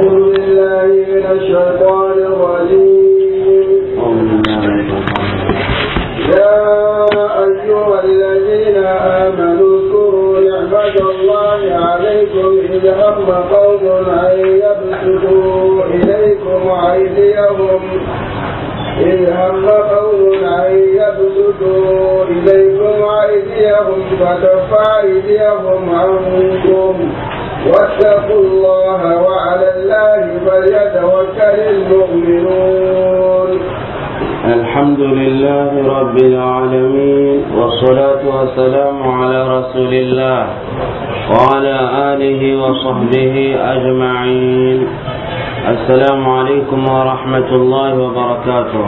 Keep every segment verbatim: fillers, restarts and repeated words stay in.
أعوذ بالله من الشيطان الرجيم. يا أيها الذين آمنوا اذكروا نعمة الله عليكم إذ هم قوم أن يبسطوا إليكم أيديهم إذ هم قوم أن يبسطوا إليكم أيديهم فكف أيديهم عنكم واتقوا الله وعلى الله فليتوكل المؤمنون. الحمد لله رب العالمين، والصلاة والسلام على رسول الله وعلى آله وصحبه أجمعين. السلام عليكم ورحمة الله وبركاته.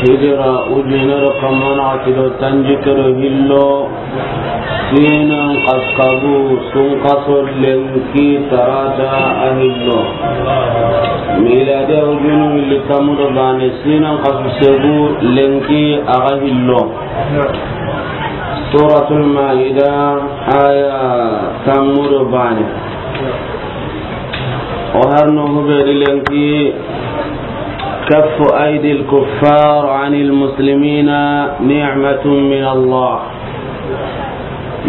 Hijira ujunero kamana atido tanjikero hillo, sinan kaskabu sunkaso lenki tarata a hillo. Miladiya ujunu hilli tamudo bane, sinan kasu segu lenki aga hillo. Suratul Maida, aya tammudo bane. O harno hubedi lenki, كف أيدي الكفار عن المسلمين نعمة من الله.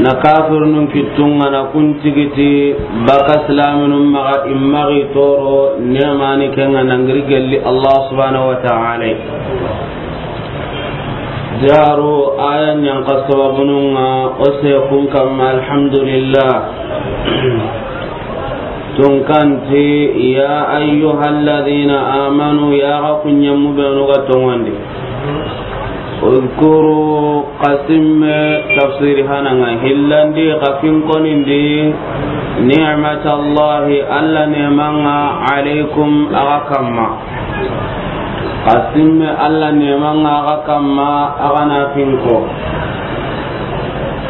Na kafirnun kittunga na kun tigiti baka silaminun maxa, i maxi toro nemani kenga nangiri gelli Allah subhanahu wa ta'ala. Jaru aya ñanka sababununga o se kun kamma, alhamdulillah. Tunkanti, يا أيها الذين آمنوا, ya ga kunyemu benu ga tongondi. اذكروا, kasimme tafsiri hananga hillandi, kafin konindi, نعمة الله, Alla nemanga, عليكم, aga kamma. Kasimme Alla nemanga aga kamma, aga na finko.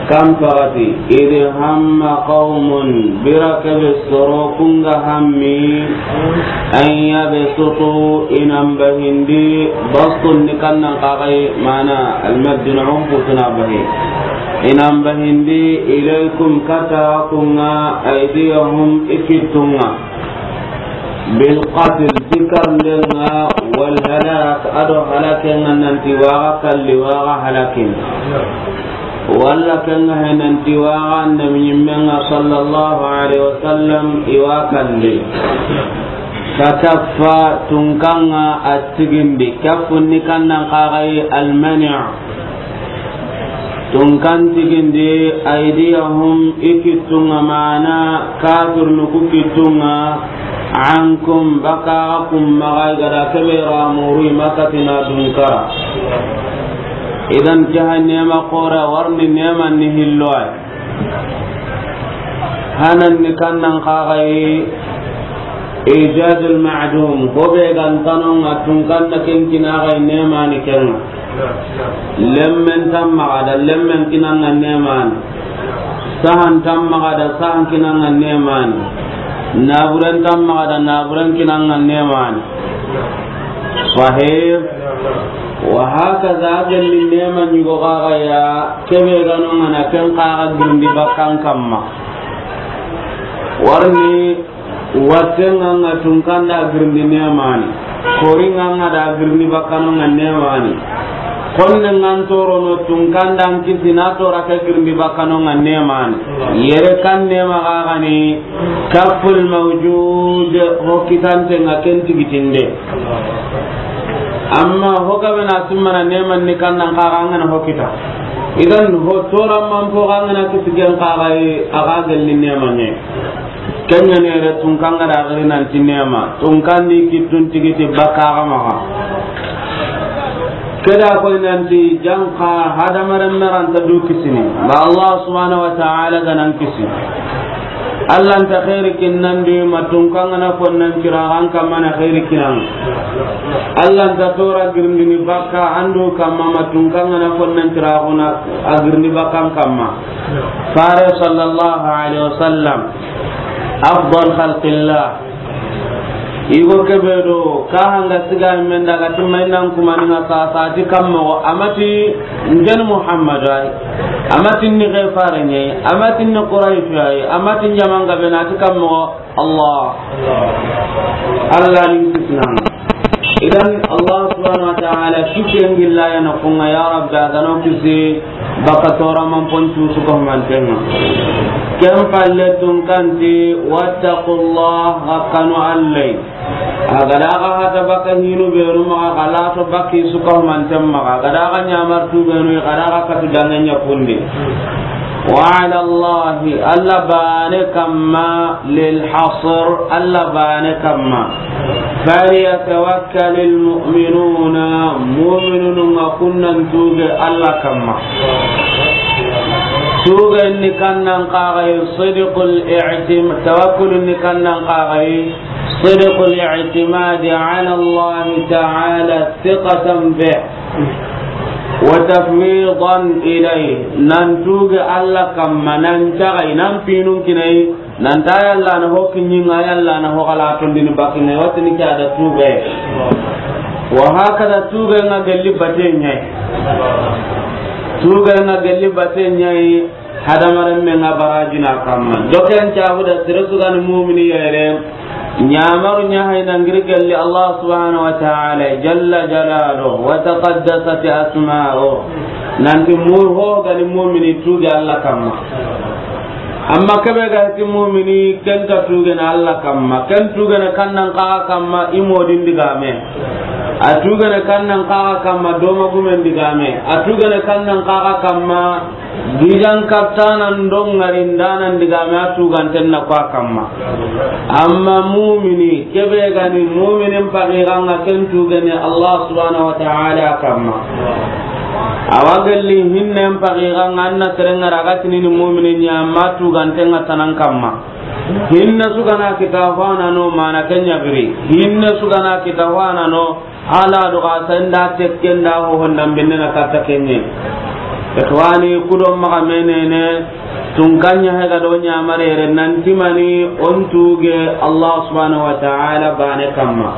Kan pagati, إذ هم قوم, bira kebe soro kunga hammi, أن يبسطوا, inan bahindi, bastun ni kannan kagai, mana almaddun umputuna bahi. Inan bahindi, إليكم, kata kunga, أيديهم, i kittunga. بالقتل, ti karndenga, والهلاك, ado halakenga, nanti waga kalli, waga halakin. Walla kenga he nanti waga annabi ñimmenga sallallahu alaihi wasallam, iwa kalli. فكف, tunkanga a tigindi, kaffu ni kannan kagai المنع. Tunkan tigindi, أيديهم, i kittunga, mana kafirnu ku kittunga, عنكم, baka kun maxa, i gada kebe ra muru i makatina dunkara. Idan ke ha nema xora warni nema ni hilloy. Hanan ni kannan kagai إيجاد المعدوم, hobe gantanonga tunkanna ken kinagai nemani kenga. Lemmen tammaga da lemmen kinanga nemani. Sahan tammaga da sahan kinanga nemani. Naburen tammaga da naburen kinanga nemani. Sahih. Wa hakaza, gelli nema ñugo kaga ya, kebe ganonga na ken kaga girindi bakkan kamma. Warni Wattenganga tunkanda girindi nemani. Koringanga da girindi bakkanonga nemani. Konne ngan torono tunkandan kisi na tora ke girindi bakkanonga nemani. Yere kan nema gagani kaful mawjud, hokitantenga ken tigitinde. Amma hogabe na simmana neman ni kannan kaga angana hokita. Idan ho toran man po gangana kisigen kaga aga gelli nemanye. Kenya ne re tunkanga da gari nanti nema, tunkandi kittun tigiti bakaga maga. Keda koy nanti janka hadamaren meranta du kisini. Ba Allah subhanahu wa ta'ala ganan kisi. Allah nta khairi kinnandi ma tunkanga na konnan kiragan kamma na khairi kinan. Allah nta tora girindini bakka andu kamma ma tunkanga na konnan kiraguna a girindi bakkan kamma. Fare sallallahu alaihi wasallam, afdal khalqillah. Igo kebe do ka hanga siga men daga timma inan kuma ni nga sa sa ti kammo amati ngen Muhammad ay. A ma ti ni ke fare ɲa yi, a ma ti ni Quraysh ya yi, a ma ti ni jaman gabe na ti kammo Allah. Allah ni kisna. Idan Allah subhanahu wa ta'ala kisen gilla ya na kunga, ya Rabbi, a ga na o kisi baka tora man pon tu su ko mantenga. Ken palle tun kanti, wattaqullah, ga kanu Allah. A ga da ga hata baka hinu benu maxa, ga lato baki su ko manten maxa, ga da ga ɲamar tu benu, ga da ga katu danganya kundi. Wa ala Allah, Allah bane kamma, lil hasr, Allah bane kamma. Falyatawakkalil mu'minuna, mu'minunu nga kunnan tuge Allah kamma. Tuge ni kannan kagai sidqul i'tim-, tawakkul ni kannan kagai sidqul i'timadi ala Allah ta'ala thiqatan bih. Wa tafwidan ilayh, nan tuge Allah kamma, nan cagai, nan pinun kinai, nan ta Yalla na ho kinyinga, Yalla na ho kala tondini bakinga, watini ke ada tuge. Wa hakada tuge nga gelli bate ɲa yi. Tuge nga gelli bate ɲa yi. Hadamaren me nga barajina kamma. Doken cabu da sere su ga ni mu'mini yere. Ɲamaru ɲa hay na ngiri gelli Allah subhanahu wa ta'ala jalla jalaluhu wa taqaddasat asma'uhu. Nanti mu ho ga ni mu'mini tuge Allah kamma. Amma kebe ga ti mu'mini ken ta tuge na Allah kamma. Ken tuge na kannan kaga kamma i modin digame. A tuge na kannan kaga kamma doma gumen digame. A tuge na kannan kaga kamma Gijan kattanan do ŋarindanan digame a tuganten na ko a kamma. Amma mumini, kebe gani muminin pagiran ŋa ken tugene Allah subhanahu wa ta'ala kamma. Awa gelli hinnen pagiran ŋa anna serenŋa raga tinini muminin ɲa amma tuganten ŋa tanan kamma. Hinne sugana kita hwana no mana kenya biri. Hinne sugana kita hwana no Ala do ga sanda tekken da ho honda binne na katta kenye. Ikhwani, kudo maga menene, tun kanya he ga do ɲamare re nanti mani on tuge Allah subhanahu wa ta'ala bane kamma.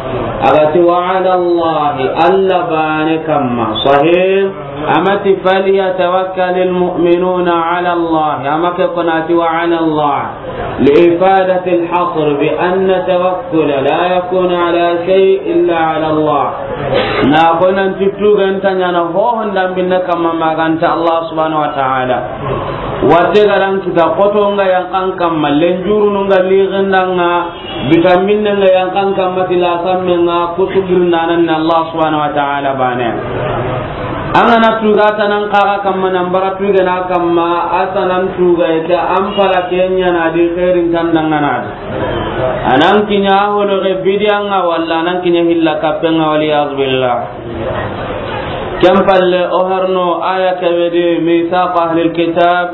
Agati wa ala Allah, Allah bane kamma. Sahih. Amati falyatawakkalil mu'minuna ala Allah. Amake konati wa ala Allah. لإفادة الحصر بأن التوكل لا يكون على شيء إلا على الله. Na ko nan ti tugan ta ɲana ho honda binne kamma maganta Allah subhanahu wa ta'ala. Watte garan kita koto nga yankan kamma, lenjuru nga liginda nga, bitamin nga yankan kamma, tilasamme nga, kusugir nanan Allah subhanahu wa ta'ala bane. An ga na tuga tanan kaga kamma, nan bara tuga na kamma, a tanan tuga ita an pala kenya na di khairin tandangana di. Anan kinya holo ge bidiyan ŋa walla anan kinya hilla kapen ŋa, wal iyaz billah. Ken palle o harno aya kebe di mithaq ahlil kitab,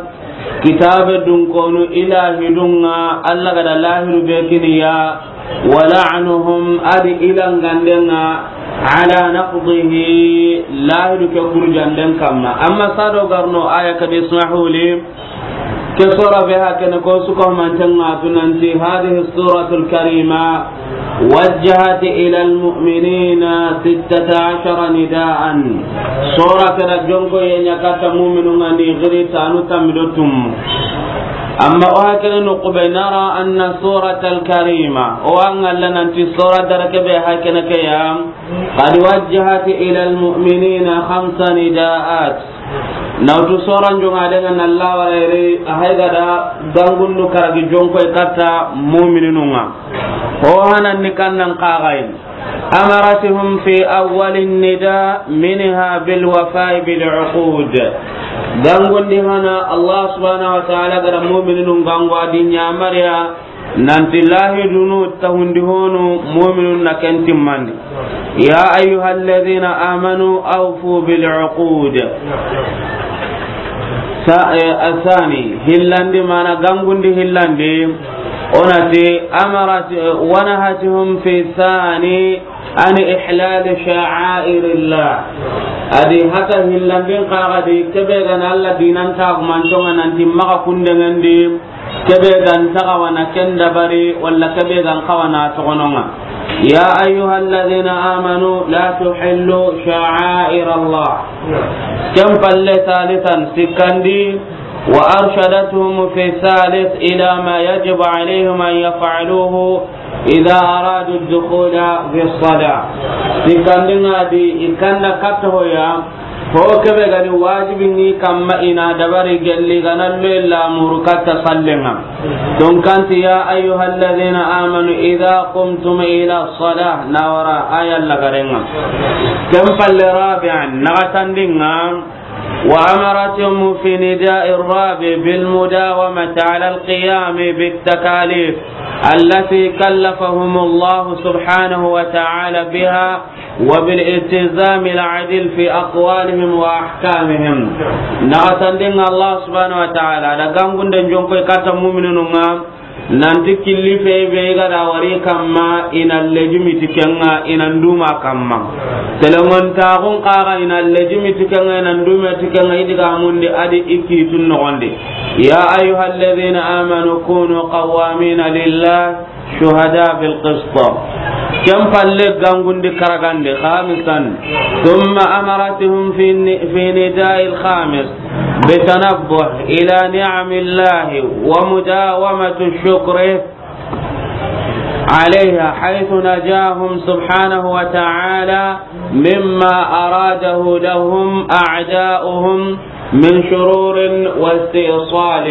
kitabe dun konu ilahi dun ŋa, Allah ga da lahiru be kiniya, wa la'nuhum, adi ilanganden ŋa, ala naqdihi, lahiru ke kurjanden kamma. Amma sado garno aya kadi, ismahu li, ke sura be hakene ko suko manten ŋa tunanti, hadhihi suratul karima wajjahat ila almu'minina sittata ashara nidaan. Sura kera jonko ye ɲa katta mu'minun ŋa ni giri tanu tammi do tum. Amma o hakene no kube, nara anna suratal karima, o angalla nanti sura dara kebe hakene ke ya, qad wajjahat ila almu'minina khamsa nidaat. Nawtu soran jonga de ŋa nalla wala ire, a hay gada gangundu karagi jonko e katta mu'mininu ŋa. Ho hanan ni kannan kagayin. Amaratuhum fi awwalin nida minha bil wafa'i bil uqud. Gangundi hana Allah subhanahu wa ta'ala gada mu'mininu gangu adi ɲamariya nanti lahidunu tahundi honu mu'minun na ken timmandi. Ya ayyuhalladhina amanu awfu bil uqud. Sa-, eh, asani, hillandi mana gangundi hillandi, onati amarat, eh, wanahatuhum fi thani an ihlal sha'airillah. Adi hata hillandin kagadi kebe gana Allah dinan tagumantonga nanti maga kundengendi, kebe gan taga wana ken dabari, walla kebe gan kawana togononga. يا أيها الذين آمنوا لا تحلوا شعائر الله. Ken palle ثالثا, sikkandi, وأرشدتهم في الثالث إلى ما يجب عليهم أن يفعلوه إذا أرادوا الدخول في الصلاة. Sikkandi ŋa di, i kanda katta hoya, ho kebe gani wajibi ni kamma i na dabari gelli gana lo illa muru katta sallenga. Tunkanti, يا أيها الذين آمنوا إذا قمتم إلى الصلاة, na wara aya lagarenga. Ken palle رابعا, naxatandinga, وأمرتهم في نداء الرابع بالمداومة على القيام بالتكاليف التي كلفهم الله سبحانه وتعالى بها وبالالتزام العدل في أقوالهم وأحكامهم. Naxatandinga Allah subhanahu wa ta'ala da gangunden jonkoy katta mu'minununga, nanti killi fe be ga da wari kamma, i na lejimi ti kenga, i na nduma kamma. Telengontaxun kaga, i na lejimi ti kenga, i na nduma ti kenga, i diga mundi adi i kitun noxondi. يا أيها الذين آمنوا كونوا قوامين لله شهداء بالقسط. Ken palle gangundi karagandi, خامسا، ثم أمرتهم في الن-، في النداء الخامس بالتنبه إلى نعم الله ومداومة الشكر عليها، حيث نجاهم سبحانه وتعالى مما أراده لهم أعداؤهم من شرور واستئصال.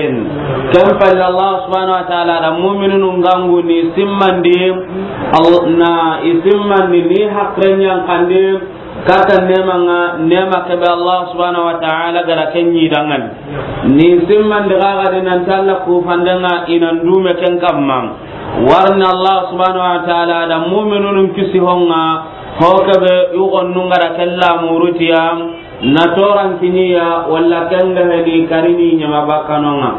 Ken palle Allah subhanahu wa ta'ala da mu'minunun gangu ni simmandi, al-, na i simmandi ni hakren yankandi, katta nemanga, nema kebe Allah subhanahu wa ta'ala ga da ken ɲi dangani. Ni simmandi gaga di nanti Allah kufandenga i na ndume ken kamma. Warni Allah subhanahu wa ta'ala da mu'minunun kisi honga, ho kebe yugon nunga da kella murutiya, na toran kiniya, walla kenga hedi karini ɲama bakkanonga.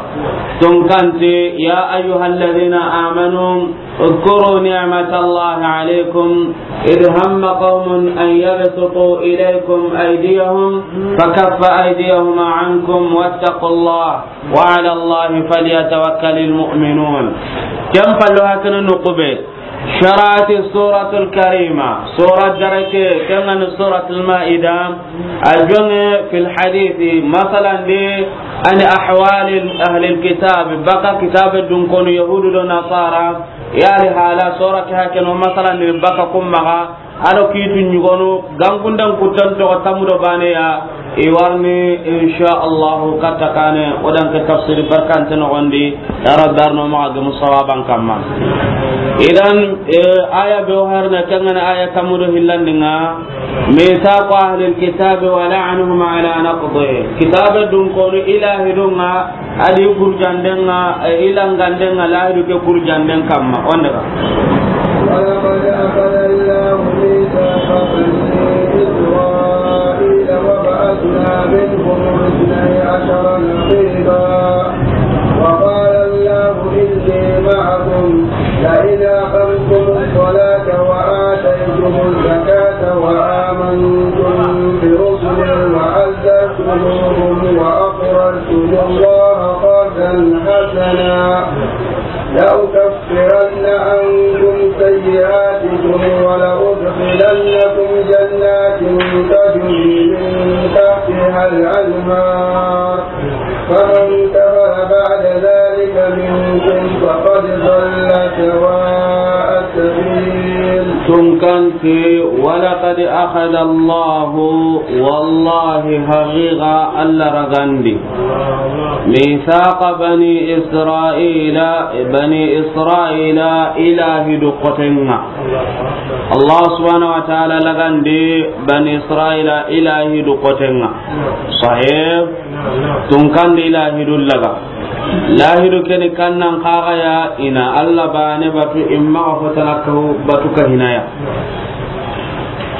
Tunkanti, يا أيها الذين آمنوا اذكروا نعمة الله عليكم إذ هم قوم أن يبسطوا إليكم أيديهم فكف أيديهم عنكم واتقوا الله وعلى الله فليتوكل المؤمنون. Ken pallo hakana nukube. شرعت السورة الكريمة، سورة دركة، كان سورة المائدة، أجون في الحديث، مثلا دي، عن أحوال أهل الكتاب، بقى كتاب دون كون يهود ونصارى، يعني حالا سورة هكذا، مثلا بقى كمغا، ado kitu ɲugonu, gangundan kutan to tamudo baneya, i warni, insha Allah, katta kane, o dan ke tafsir barkante noxondi, ya Rabbi arno maxa gemu sawaban kamma. Idan, eh, aya be o harna kangana aya tamudo hillandinga, mithaqu ahlil kitabi wa la'nuhum ala naqdi. Kitabe dun kono ilahi dunga, adi kurjandenga, e, ilangandenga, lahidu ke kurjanden kamma. On daga. ولقد أخذ الله ميثاق بني إسرائيل وبعثنا منهم اثني عشر نقيبا وقال الله إني معكم لئن أقمتم الصلاة وآتيتم الزكاة وآمنتم برسلي وعزرتموهم وأقرضتم الله قرضا حسنا لأكفرن عنكم سيئاتكم ولأدخلنكم جنات تجري من تحتها الأنهار فمن كفر بعد ذلك منكم فقد ضل سواء السبيل. Tunkanti, ولقد أخذ الله, wallahi haqiqa Allah ragandi, ميثاق بني إسرائيل, bani Israila ilahidu kotenga. Allah subhanahu wa ta'ala lagandi bani Israila ilahidu kotenga. Sahih. Tunkandi lahidu laga. Lahidu keni kannan kaga ya ina Allah bane batu imma fotana kahu batu kahinaya.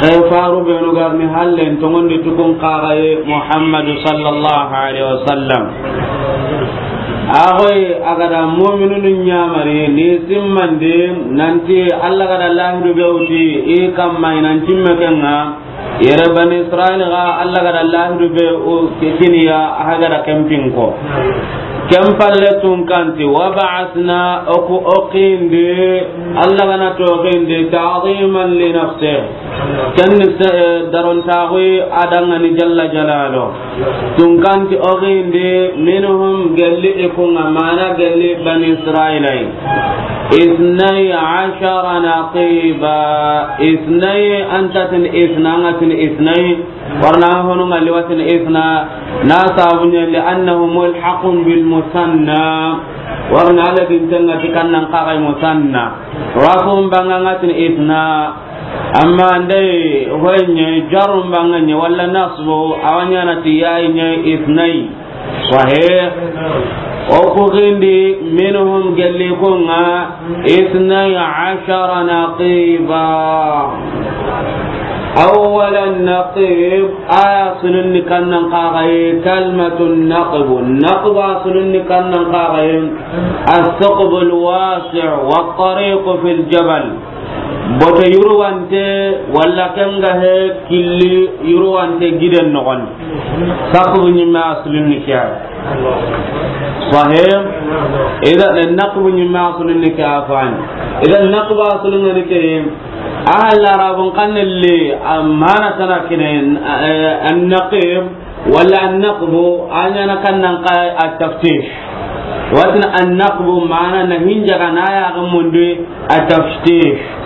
Ke faru benu garni hallen tongondi tukun kaga ye Muhammadu sallallahu alaihi wasallam. Agoy agada mu'minunu nyamari ni simmandi nanti Allah gada lahidu bewti i kamma inan timme kenga. Yere bani Israil ga Allah gada lahidu be o kiniya a gada kempinko. Ken palle tunkanti, wa ba'athna, o ku o xiindi, Alla ga na ti o xiindi, ta'ziman li nafsihi. Ken ni se-, eh, darontaaxu a danŋa ni jalla jalaaluhu. Tunkanti o xiindi, minhum, gelli i kunŋa, maana gelli Bani Israila yi. Isnay ashara naqiba. Isnay, an ta tini isna, an ga tini isnay. Warna honu ŋa liwatin isna, na sabu ɲa li annahu mulhaqun bil musanna. Warna ala din tenŋa ti kannan xaxay musanna. Rafun banŋa ŋa tini isna. Amma ndey hoyɲe jarun banŋa ɲe walla nasbu a wa ɲaana ti yayi ɲe isnay. Sahih. O ku xiindi, minhum, gelli i kunŋa, isnay ashara naqiba. Awwalan naqib, a ya sulunni kannan xaxaye, kalmatun naqbu. Naqbu a sulunni kannan xaxaye, as-saqbul wasi' wa tariqu fil jabal. Bote yurwante, walla ken ga he killi yurwante giden noxon. Saqbu ɲimme asulun ni ke ya. Sahih. Idan naqbu ɲimme asulun ni ke ya fani. Idan naqbu asulun ni ke. A halla arabun xanne le, a maana tana kine, eh, an-naqib. Walla an-naqbu, a ɲaana kannan xa at-taftish. Wa tini an-naqbu maana na hinjaga na yaaxen mundu at-taftish.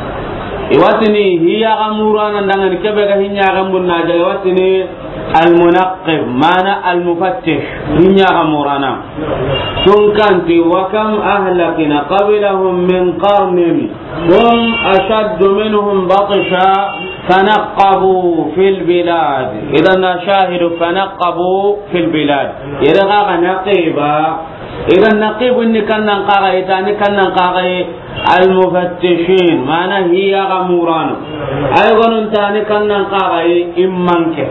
I wa tini hi yaaxen murana danŋa ni kebe ga hi yaaxen mundu na jaga, i wa tini al-munaqqib, maana al-mufattish, hi yaaxen murana. Tunkanti, wa kam ahlakna qablahum min qarnin. هم أشد منهم بطشا فنقبوا في البلاد. إذن الشاهد فنقبوا في البلاد. Yere ga ga naqiba. Idan naqibu ni kannan xaxaye, tani kannan xaxaye, al-mufattishin, maana hi yaaxen murano. Ay gonun tani kannan xaxaye, immanke.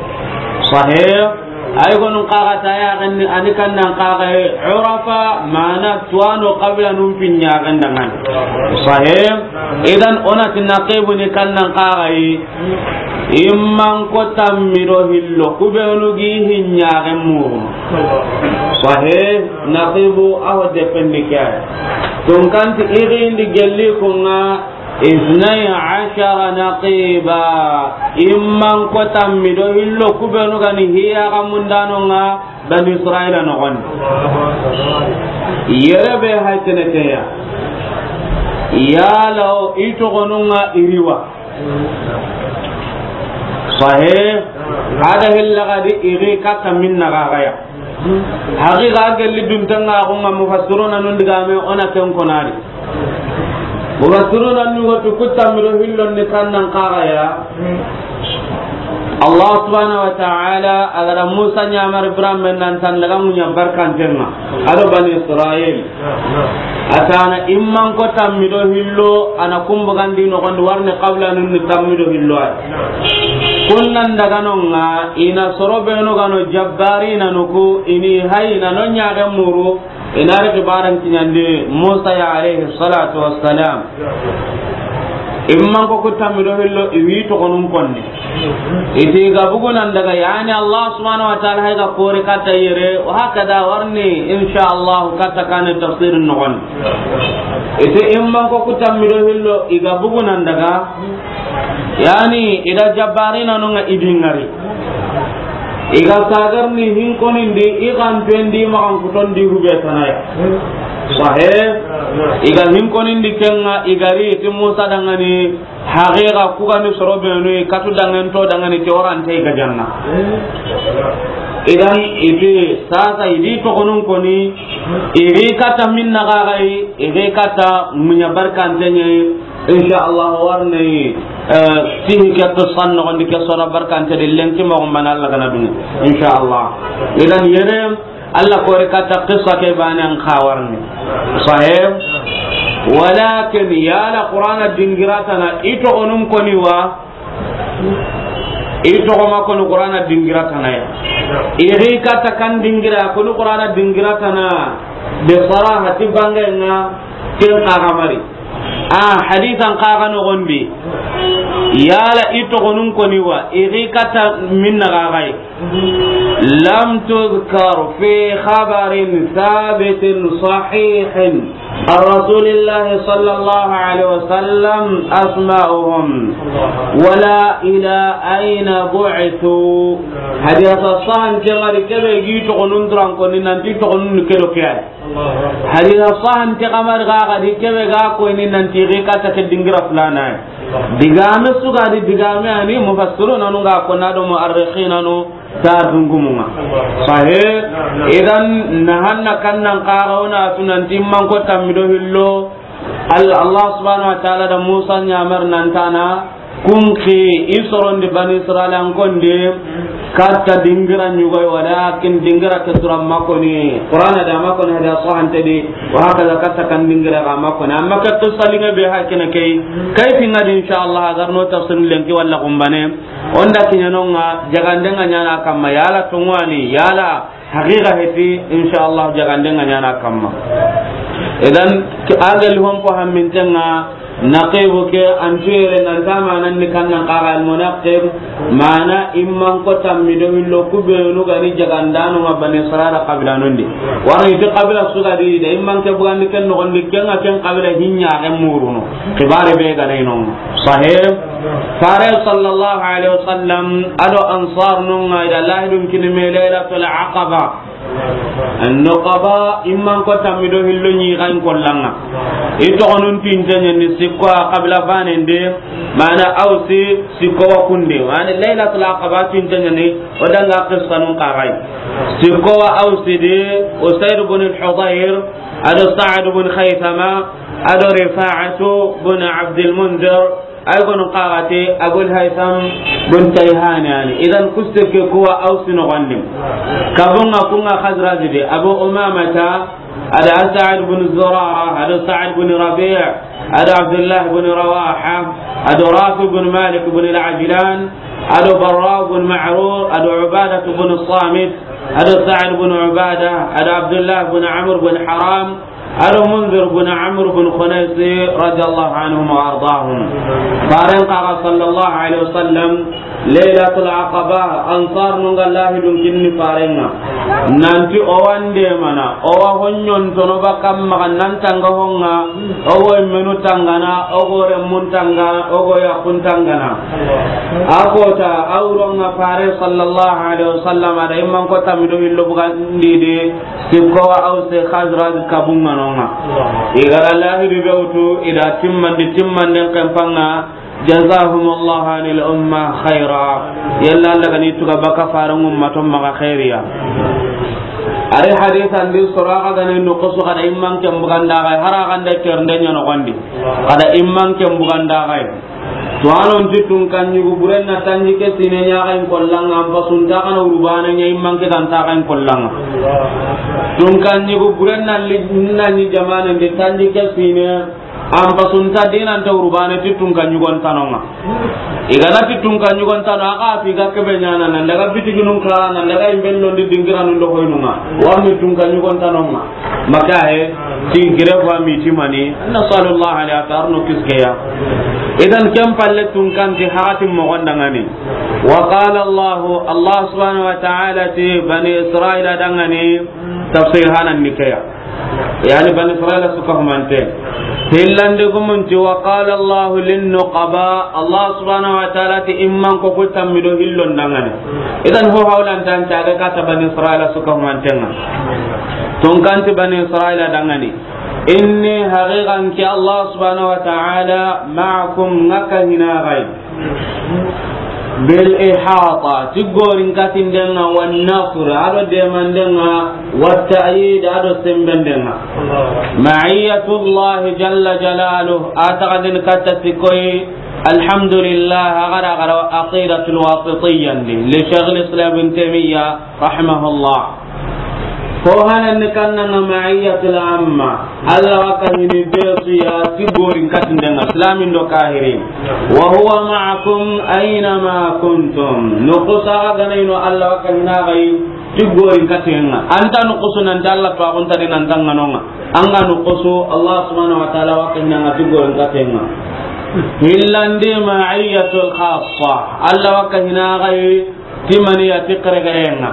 Sahih. Ay gonun xaxa ta yaaxen ni, a ni kannan xaxaye, urafa, maana tuwaano qabila nun fi ɲaaxen danŋa ni. Sahih. Idan o na ti naqibu ni kannan xaxaye, imman ko tammi do hillo, ku beenu gi hi ɲaaxen muru. Sahih. Naqibu a ho dependi ke ya. Tunkanti i xiindi gelli kunŋa, اثني عشر نقيبا. Imman ko tammi do hillo ku beenu ga ni hi yaaxen mundanonŋa Bani Israila noxon. Yere be hay tene ke ya. Yala o i toxonunŋa i ri wa. Sahih. A da hilla ga di i ri katta minna ga ga ya. Haqiqa gelli duntanŋa xo ŋa mufassiruna nun digame o na ken konari. Mufassiruna nun ga tu ku tammi do hillon ni kannan xaxaya. Allah subhanahu wa ta'ala a ga da Musa ɲamari biran men nan tan daga muɲa barkantenŋa. A do Bani Israil. A tana imman ko tammi do hillo, a na kumbu gandi noxondi warni qabila nun ni tammi do hillo ay. Kunnan daga nonŋa, i na soro beenu ga no jabbarinanu ku, i ni hay na no ɲaaxen muru, i na ri xibaran kiɲandi Musa ya alayhi salatu wassalam. Imman ko ku tammi do hillo, i wi toxonun konni. I ti ga bugunan daga, yani Allah subhanahu wa ta'ala hay ga kori katta yere, wa hakada warni, insha Allah, katta kane tafsirin noxon. I ti imman ko ku tammi do hillo, i ga bugunan daga, yani, i da jabbarinanunŋa i di ŋari. I ga sagarni hinkonindi, i xanpendi, maxan kutondi hube tanaya. Sahih. I ga hinkonindi kenŋa, i ga ri ti Musa danŋa ni, haqiqa ku ga ni soro beenu, katu danŋen to danŋa ni ke warante i ga janna. Idan, i ti sasa i di toxonun koni, i ri katta minna ga ga yi, i ri katta muɲa barkantenŋe, Insha Allah, warne, eh, tihi ke qissan noxondi ke sora barkante de lenki moxo mana Allah gana duni. Insha Allah. Idan yere, Allah kori katta qissa ke bane an xa warne. Sahih. Walakin yala Qur'ana dingiratana i toxonun koni wa? I toxo ma koni Qur'ana dingiratana ya. I ri katta kan dingira koni Qur'ana dingiratana. Be saraha ti bangenga ken xa ga mari. A hadisan xa ga noxondi. Yala i toxonun koni wa, i ri katta minna ga ga yi. لم تذكر في خبر ثابت صحيح عن رسول الله صلى الله عليه وسلم أسماؤهم ولا إلى أين بعثوا. Hadisa sahan ke ga ri ke be gi toxonun duran koni nanti toxonun ke do ke ya. Hadisa sahan ke ga ma ri ga ga di ke be ga koni nanti ri kata ke dingira fulana. Digame su ga di digame ani mufassiruna nu ga ko na do muarrikhina nu. Ta dungumunga. Sahih. Idan nahanna kannan kaga wona tunanti manko tammido hillo. Al-, Allah subhanahu wa ta'ala da Musa nyamar nan tana kunki isorondi Bani Israel an konde katta dingira nyugoy, walakin dingira ke sura makoni. Qur'ana da makoni hada sahante di, wa hakaza katta kan dingira ga makoni. Amma ke qissa linga be hakina kay. Kay finga di insha Allah agar no tafsir lenki wala kumbane. Onda kiɲanonga, jagande nga ɲana kamma, yala tongwani, yala haqiqa heti, insha Allah, jagande nga ɲana kamma. Idan, ki-, agel hompo hammintenga, naqibu ke, antuyere, nantama nanni kannan kaga almunaqib, mana imman ko tammi do hillo kubenu gani jagandano ma Bani Israila qabila nondi. Waro iti qabila suga di, da imman ke bugandi ken nogondi, ken nga ken qabila hinya ke muruno. Kibare be gana inon. Sahih. Fare sallallahu alaihi wasallam ado ansar nunga ida lahidun kinime Lailatul Aqaba. An-Nuqaba imman ko tammido hillo ni gan kollanga. Ito onun tintanya ni sikko a qabila banende, mana Ausi sikko wa kunde. Mana Lailatul Aqaba tintanya ni odanga qissanun qagai. Sikko wa Ausi de Usaid ibn al-Hudayr, ado Sa'd ibn Khaythama, ado Rifa'atu ibn Abdul Munzir, Ay gono kagate Abul Haytham bin Tayhani yani. Idan kuste ke kuwa Ausi nogondi. Kabunga kunga Khazraj de, Abu Umamata, ada Sa'd bin Zurara, ada Sa'd bin Rabi', ada Abdullah bin Rawaha, ada Rafi bin Malik bin Al-Ajlan, ada Barra bin Ma'rur, ada Ubadah bin Samit, ada Sa'd bin Ubadah, ada Abdullah bin Amr bin Haram, Ado Munzir bin Amr bin Khunaysi radiyallahu anhum wa ardahum. Faren kaga sallallahu alaihi wasallam, Lailatul Aqaba, Ansar nunga lahidun kinni farenga. Nanti o wande mana, o wa honyon tono bakam maga nan tanga honga, o go menu tangana, o go remun tanga, o go yakun tangana. Akota auronga fare sallallahu alaihi wasallam, ada imman ko tamido illo bugandi de, Sikko wa Ausi Khazraj kabunga nonga. Igara lahidu be wutu, ida timmandi, timmanden kempanga, jazahumullahu anil umma khaira. Yalla Allah gani tuga baka faran ummaton maga khairiya. Ari hadith andi Suraqa gani nukusu kada imman ken buganda gai, hara ganda kernde nyano gandi. Kada imman ken buganda gai. To anon ti tunkan yugu buren na tanji ke sine ɲaxayin kollanga, an pasunta kana urubane ɲa imman ke ganta xayin kollanga. Tunkan yugu buren na li-, na ɲi jamane ndi tanji ke sine, an pasunta dinante urubane ti tunkan yugon tanonga. Igana ti tunkan yugon tano, aka fi ga kebe ɲana, nan daga bitiginun kara, nan daga imbello ndi dingiranun do hoynunga. Warni tunkan yugon tanonga. Maka he, ti gire ko mi ti mani, nasallallahu alaihi wa sallam no kiskeya. Idan ken palle tunkan ti haratin mo gondangani. Wa qala Allah, Allah subhanahu wa ta'ala ti Bani Israila dangani, tafsir hanan nikeya. Yani Bani Israila suka humante. Hillande gumunti wa qala Allah lin nuqaba, Allah subhanahu wa ta'ala ti imman ko ku tammido hillon dangani. Idan ho hawlan tan caga kata Bani Israila suka humantenga. Tunkanti Bani Israila dangani. Inni haqiqan ki Allah subhanahu wa ta'ala ma'akum ngaka hinagai. Bil ihata, ti gorin katindenga, wan nasr, ado demandenga, wat ta'yid, ado sembendenga. Ma'iyatullah jalla jalaluh, ataqadin katta sikoy, alhamdulillah, agara agara aqidatul wasitiyya ndi, li Shaykhul Islam Ibn Taymiyyah, rahimahullah. Ko hanan ni kannanga ma'iyatul amma. Allah wa kahini besu ya ti gorin katindenga, islamin do kahirin. Wa huwa ma'akum aina ma kuntum. Nukusa ganaino Allah wa kahina gai ti gorin katinga. Anta nukusu nan Allah to akunta di nan tanganonga. Anga nukusu Allah subhanahu wa ta'ala wa kahina nga ti gorin katinga. Hillandi ma'iyatul khassa. Allah wa kahina gai Ti maniya ti kerekerenga.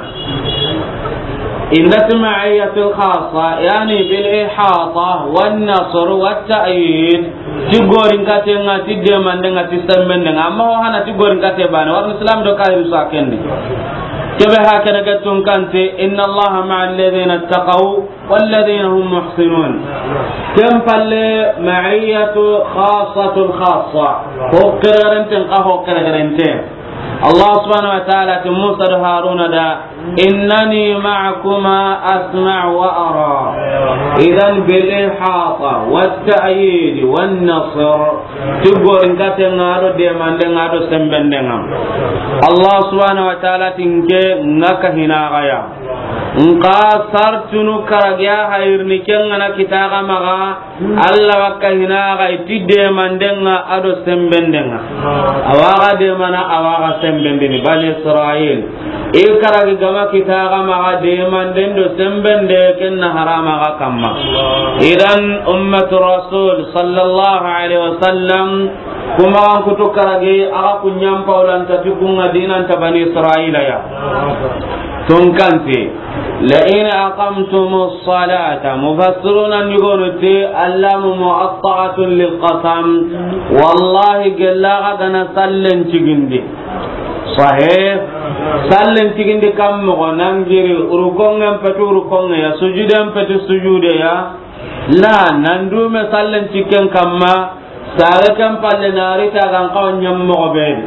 Inda ti ma'iyatul khassa, yani bil ihata wan nasr wat ta'yid. Ti gorin katenga, ti demandenga, ti sembendenga. Amma ho hana ti gorin kate bane. Warni Islam do kahir sa kendi. Kebe hakene ke tun kante, inna Allaha ma'al ladhina ittaqaw والذين هم محسنون. Ken palle, ma'iyatu khassatul khassa. Ho keregerenten ka ho keregerente. Allah subhanahu wa ta'ala ti Musa do Haruna da, "Innani ma'akuma asma'u wa ara." Idan bil ihata wat ta'yid wan nasr. Ti gorin katenga do demandenga do sembendenga. Allah subhanahu wa ta'ala ti nke nga ka hina gaya. Nka sartunu karagiya hayirni kengana kitaga maga, Allah wakka hina ga iti demandenga ado sembendenga. Awaga demana, awaga sembendini, Bani Israil. I karagi gama kitaga maga demanden do sembende kenna harama ga kamma. Idan ummatu Rasul sallallahu alaihi wasallam, kuma an kutu karagi aga kunyan paulanta ti kunga dinanta Bani Israila ya. Tunkanti, "La in aqamtumus salata," mufassiruna ni gonu ti, allamu mu'atta'atun lil qasam. Wallahi, gella ga gana sallen cigindi. Sahih. Sallen cigindi kam mogo, nangiri rukongen petu rukonge ya, sujuden petu sujude ya. La, nandume sallen cikken kamma. Sare ken palle na ri ta gan kawa ñammoxo be di.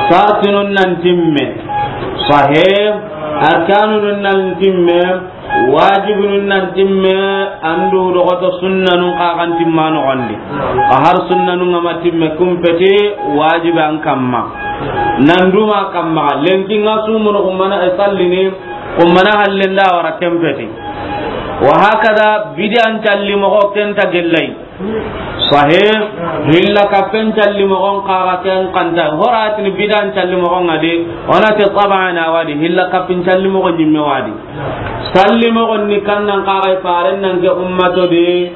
Sartinun nan timme. Sahih. Arkanunun nan timme. Wajibunun nan timme. Andu doxoto sunnanun xa gan timma noxondi. Xa har sunnanun ga ma timme kumpeti wajibe an kamma. Nan duma kamma. Lenki nga sumunu kummana e sallini. Kummana hallenda wara kempeti. Wa hakada bidian calli moxo kenta gellay. Sahih. Hilla kappen calli moxon kaga ken kanta. Horatini bidan calli moxon adi. Onati taban awadi. Hilla kappin calli moxon ñimme wadi. Salli moxon ni kannan kaga faren nan ke ummato di.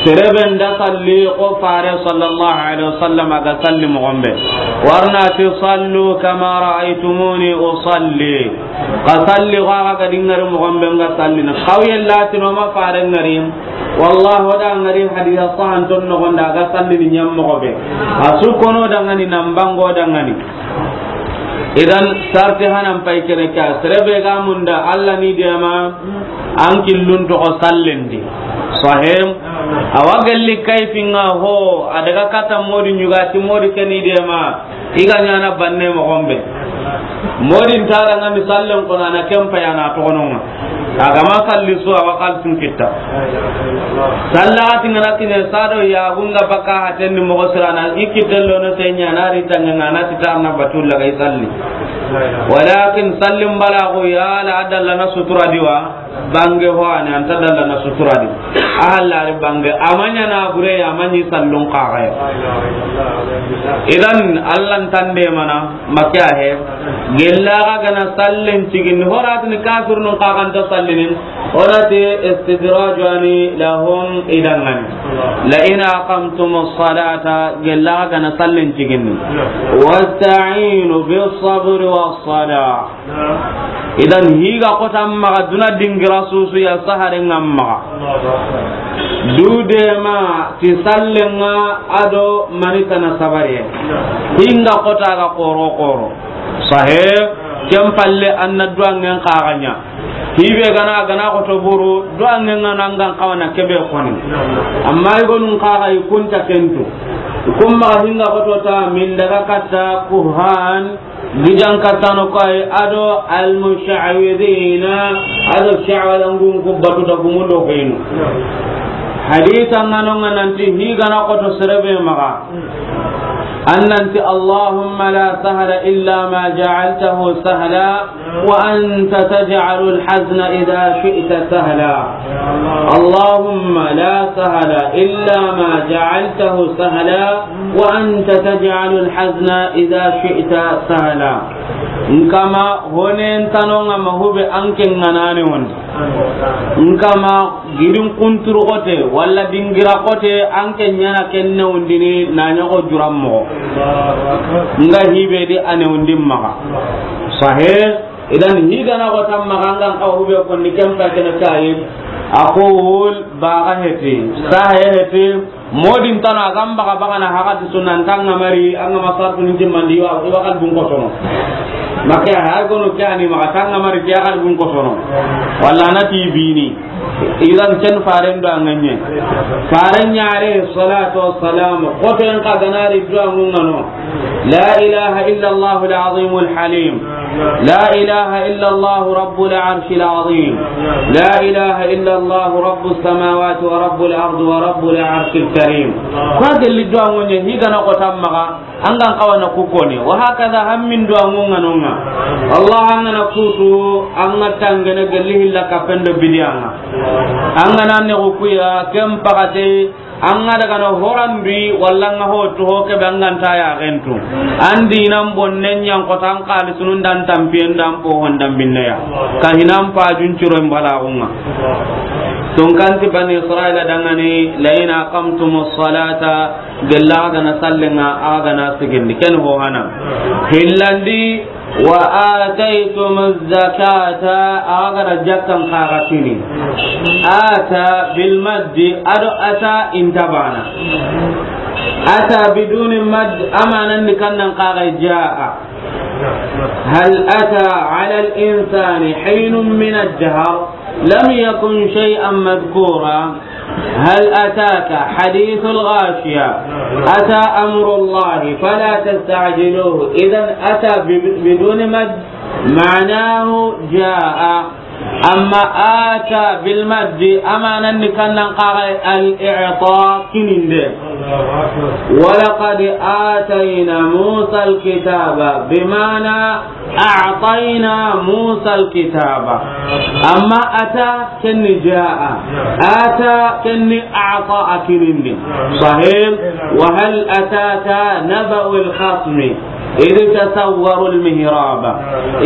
Sereben da salli ko fare sallallahu alaihi wasallam aga salli moxon be. Warnati sallu kama ra'aytumuni usalli. Ka salli ko aga dingari moxon be nga salli na. Kawye latino ma fare ngari. Wallahi, o da ngari hadisa sahanton noxon da ga sallini ñammoxo be. A su kono dangani, nan bango dangani. Idan, sarti hanan pay kene ka. Serebe ga munda, Allah ni dema, an killun toxo sallendi. Sahih. Awa gelli kayfinga ho, a daga kata modi ñugati modi keni dema. I ga ñana banne moxon be. Modin tara nga misallen kono ana kempa yana toxononga. Agama salli su awa xalsun kitta. Salla ati ngana kine sado ya gunga baka hatenni moxo sirana i kitten lono te ñana ri tanga ngana titarna batulla gay salli. Walakin sallim balaxu ya la adalla na sutura diwa. Bange ho ani anta dalla na sutura di. Ahallari bange amanya na bure ya manyi sallun kaxaya. Idan Allah tande mana makya he. Gella ga gana sallen cigin horatini kafirnun kaxanta sallinin. Onati istidrajani lahum idangani. La in aqamtumus salata gella ga gana sallen cigin. Wasta'inu bis sabri was salah. Idan higa kota maxa duna dingira susu ya sahare nga maxa. Dude ma ti sallenga ado manitana sabare. Hinga kota ga koro koro. Sahe ken palle anna duangen kaxanya. Hibe gana gana koto buru duangen nga nangan kawana kebe koni. Amma igonun kaxa ikunta kentu. Kumma hinga koto ta min daga katta kuhan. Gijan katano kay ado al musha'widina ado sha'walangun ku batu da gumu do kenu. Hadisa ngano ngananti higana koto serebe maga. Annanti Allahumma la sahla illa ma ja'altahu sahla wa anta taj'alul hazna idha shi'ta sahla. Allahumma la sahla illa ma ja'altahu sahla. Wa anta taj'alul hazna idha shi'ta sahla. Nkama honen tanonga mahube anke nganane won. Nkama girin kunturu kote wala dingira kote anke nyana kenne undini nanya ko jurammo. Nga hibe di ane undin maga. Sahih. Idan, higana ko tamma gangan kawa hube konni kempa kene kayi. Aqul, baga heti. Sahe heti. Modin tano a gamba ga bagana hagati sunan tanga mari, anga masartu ninti mandi wa, iwa kalbun kosono. Maka ha gono kani maka tanga mari, kiya kalbun kosono. Walla na ti bini. Idan ken faren do anganye. Faren ya alayhi salatu wassalam. Koto en ka ganari do angungano. لا إله إلا الله العظيم الحليم. لا إله إلا الله رب العرش العظيم. لا إله إلا الله رب السماوات ورب الأرض ورب العرش الكريم. Kwa gelli do angonye higana ko tammaga, angan kawana kukone. Wa hakaza hammin do angonga nonga. Allah angana kutu, anga tangene gelli hilla kapendo bidianga. Angana ne kuya, kem pagate, An ga daga na horandi, walla an ga ho to ho ke be an ga nta ya gentu. An dinan bonnen yan ko tan kali sunun dan tampiyen dan po hondan binneya. Ka hinan pa jun ciro mbala unga. Tun kanti Bani Israila dangani, "La in aqamtumus salata," gella ga na sallenga, a ga na sigindi. Ken ho hana. Hillandi, "Wa ataytumuz zakata," a ga da jakkan kaga kini. Ata bil maddi, ado ata intabana. Ata biduni madd, amanan ni kannan kaga jaa. Hal ata ala al insani hinun min ad-dahr lam yakun shay'an madhkura. هل أتاك حديث الغاشية. أتى أمر الله فلا تستعجلوه. إذن أتى ب-، بدون مد معناه جاء. أما آتى بالمد أمانا كان قال الإعطاء كنين. ولقد آتينا موسى الكتاب بمعنى أعطينا موسى الكتاب. أما أتى كن جاء. أتى كن أعطى أكنين. صحيح. وهل أتاك نبأ الخصم إذ تسوروا المحراب.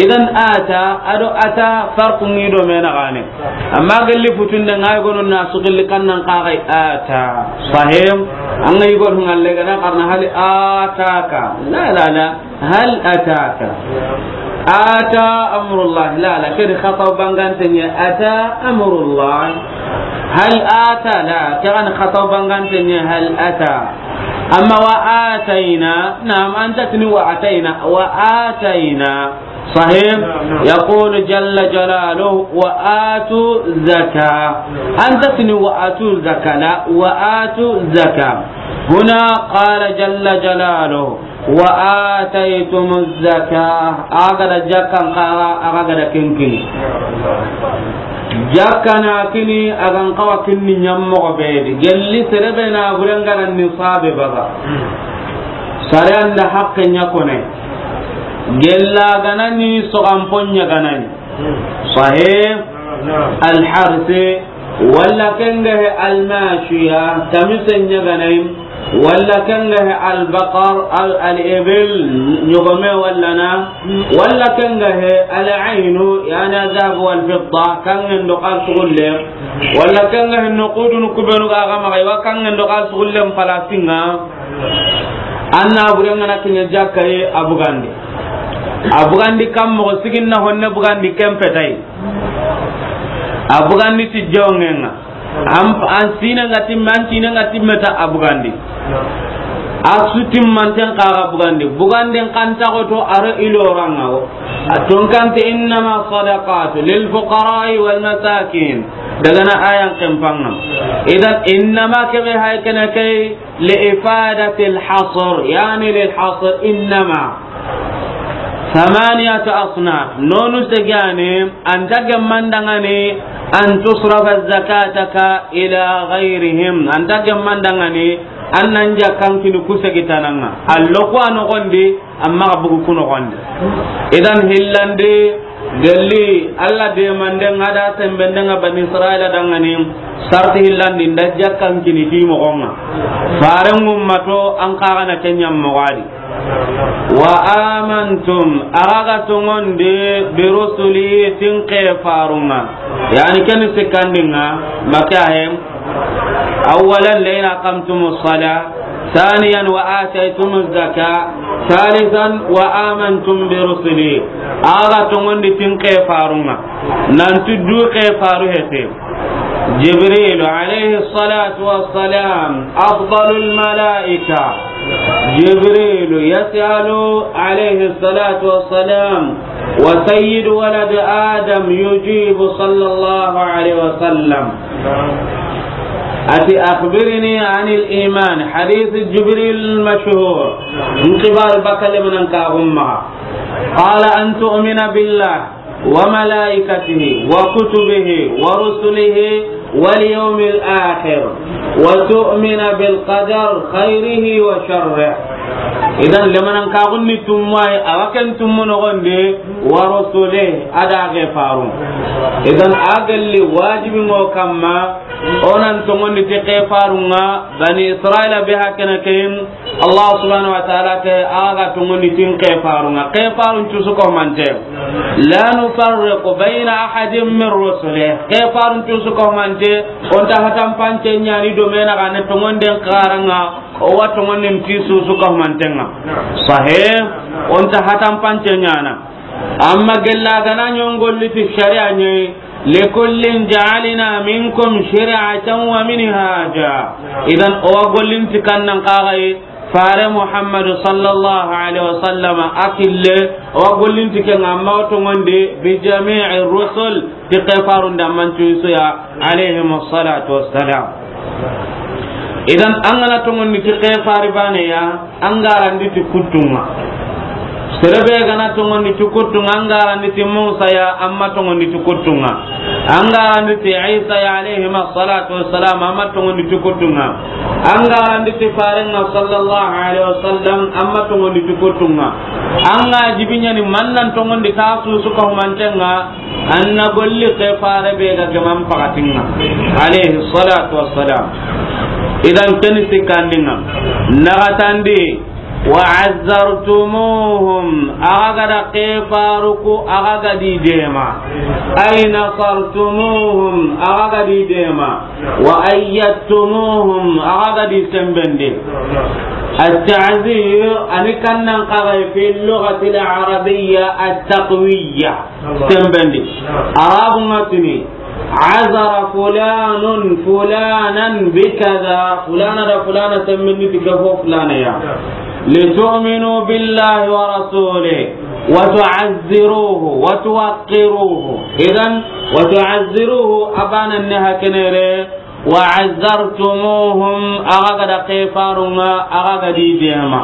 إذن أتى، أدو أتى فرق نيدو من غاني. Amma gelli futunde ŋa yi gonu na su gelli kannan kaga ata. Sahim. An ga yi gonu ŋalle gana karna hal ataka. La, la, la. Hal ataka. Ata amrullah. La, la. Kedi khata bangante nye ata amrullah. Hal ata la. Kan khata bangante nye hal ata. Amma wa atayna. Naam, anta tini wa atayna. Wa atayna. صحيح. نعم، نعم. يقول جل جلاله: "وآتوا الزكاة". أنت تني وآتوا الزكاة، لا، وآتوا الزكاة. هنا قال جل جلاله: "وآتيتم الزكاة". أغدا جاكا قارا، أغدا كنكني. Jakka na kini, a gan kawa kinni ɲammogo be di. Gelli sere be na buren gara nisabe baga. Sare anda hakke ɲa kone. Gella ganani, sogan ponya ganani. Sahih. Al harsi, walla kenge he al mashiya, tamise ɲa ganani. Walla kenge he al baqar, al, al ibil, ɲogome walla na. Walla kenge he al aynu, yani al dhahab wal fidda, kangen do kal sugulle. Walla kenge he nuqudun kubenu ga ga maga, wa kangen do kal sugulle palasinga. Anna burenga na kinya jakka ye a bugandi. A bugandi kam mo sigin na honne bugandi kempetai. A bugandi ti jongenga. An, an sine nga timme, an sine nga timme ta a bugandi. A su timmanten kaga bugandi. Buganden kanta goto aro ilo ranga o. A tonkante: "Innama sadaqatu lil fuqara'i wal masakin." Daga na ayan kempanga. Idan innama kebe hay kene kay li ifadatil hasr, yani lil hasr, innama. Thamaniyatu asnaf. Nonu segane, anta gemmandangani, an tusrafa zakataka ila ghayrihim. Anta gemmandangani, an nan jakkan kini ku segitananga. Allo ku a nogondi, amma ga bugu ku nogondi. Idan hillandi, gelli, Allah de manden ada sembenden ga Bani Israila dangani, sarti hillandi nda jakkan kini ti mogonga. Faren ummato an kaga na kenya mogadi. Wa amantum, araga tongondi, bi rusuli, tin ke farunga. Yani ken sikandinga, makahem. Awwalan, la in aqamtumus salah. ثانيا وآتيتم الزكاة، ثالثا وآمنتم برسلي. Axa tonŋundi ti n xeefarun ŋa, nanti du xeefaru hete. جبريل عليه الصلاة والسلام أفضل الملائكة. جبريل يسأل عليه الصلاة والسلام، وسيد ولد آدم يجيب صلى الله عليه وسلم. أتي أخبرني عن الإيمان، حديث جبريل المشهور. N xibaari bakka lemunan ka gumma. قال أن تؤمن بالله وملائكته وكتبه ورسله واليوم الآخر وتؤمن بالقدر خيره وشره. Idan, lemunan ka gunni tummayi, awa ken tummu noxondi, ورسله, a da xeefarun. Idan, a gelli wajibi ŋo kamma, o nan tonŋundi ti xeefarun ŋa, Bani Israila be hakene ke, Allah subhanahu wa ta'ala ke, axa ga tonŋundi ti n xeefarun ŋa. Xeefarun cusu ko mante. لا نفرق بين أحد من رسله. Xeefarun cusu ko mante, o nta hatan pance ɲaana i do me na ga ne tonŋunden xaran ŋa, o wa tonŋundi ti su su ko manten ŋa. Sahih, o nta hatan pance ɲaana. Amma gella ga na ɲon golli ti sharia ɲi, لكل جعلنا منكم شرعة ومنهاجا. Idan, o wa gollin ti kannan kaxayi, Fare Muhammadu sallallahu alaihi wasallam a kille, o wa gollin ti ken ŋa, amma o tonŋundi بجميع الرسل, ti xeefarun da mancu su ya, عليهم الصلاة والسلام. Idan, an ga na tonŋundi ti xeefari baane ya, an ga randi ti kuttun ŋa. Sere be ga na tonŋundi ti kuttun ŋa, an ga randi ti Musa ya, an ma tonŋundi ti kuttun ŋa. An ga randi ti Isa ya, عليهما الصلاة والسلام, an ma tonŋundi ti kuttun ŋa. An ga randi ti Faren ŋa sallallahu alaihi wasallam, an ma tonŋundi ti kuttun ŋa. An ga jibi ɲaana man nan tonŋundi ta su su ko manten ŋa, an na golli xeefare be ga geman pakatin ŋa, عليه الصلاة والسلام. Idan, ken sikkandin ŋa. Naxatandi, وعزرتموهم, axa ga da xeefaru ku, axa ga di deema. أي نصرتموهم, axa ga di deema. وأيدتموهم, axa ga di sembendi. التعزير, a ni kannan kaxayi في اللغة العربية التقوية. Sembendi. Arabun ŋa tini, عزر فلان فلانا بكذا, fulana da fulana sembendi ti ke fo fulana ya. لتؤمنوا بالله ورسوله وتعزروه وتوقروه. Idan, وتعزروه, a baane ni hakene re, وعزرتموهم, axa ga da xeefarun ŋa, axa ga di deema.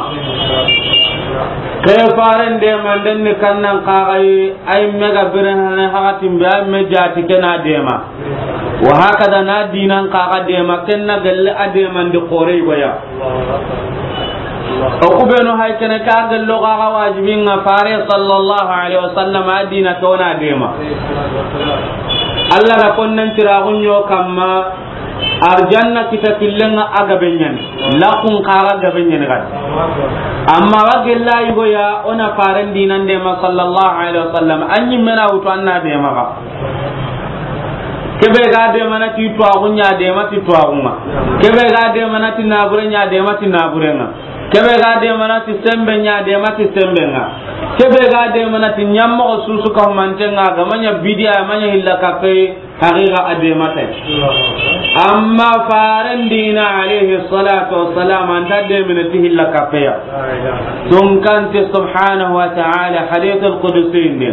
Xeefaren deemanden ni kannan kaxayi, ay me ga birene hakatin be, ay me jaati ke na deema. Wa hakada na diinan kaxa deema, ken na gelle a deemandi xoore yigo ya. O ku be no hay kene ka gello kaxa wajibin ŋa Fare sallallahu alaihi wasallam a diina ke o na deema. Allah da konnan tiraxun ɲo kamma, arjanna kita killen ŋa a gabe ɲaani, laxun kaxa gabe ɲaani gadi. Amma wa gella yigo ya o na Faren diinan deema sallallahu alaihi wasallam, an ɲi me na wutu an na deema ga. Ke be ga deema na ti tuwaaxu ɲa, deema ti tuwaaxun ŋa. Ke be ga deema na ti naabure ɲa, deema ti naaburen ŋa. Ke be ga deema na ti sembe ɲa, deema ti semben ŋa. Ke be ga deema na ti ɲammoxo su su ka humanten ŋa, ga ma ɲa bidiya, a ma ɲa hilla kappe, haqiqa a deema tay. Amma Faren diina alayhi salatu wassalam, a nta deemene ti hilla kappe ya. Tunkanti subhanahu wa ta'ala, hadith al-qudsi ni.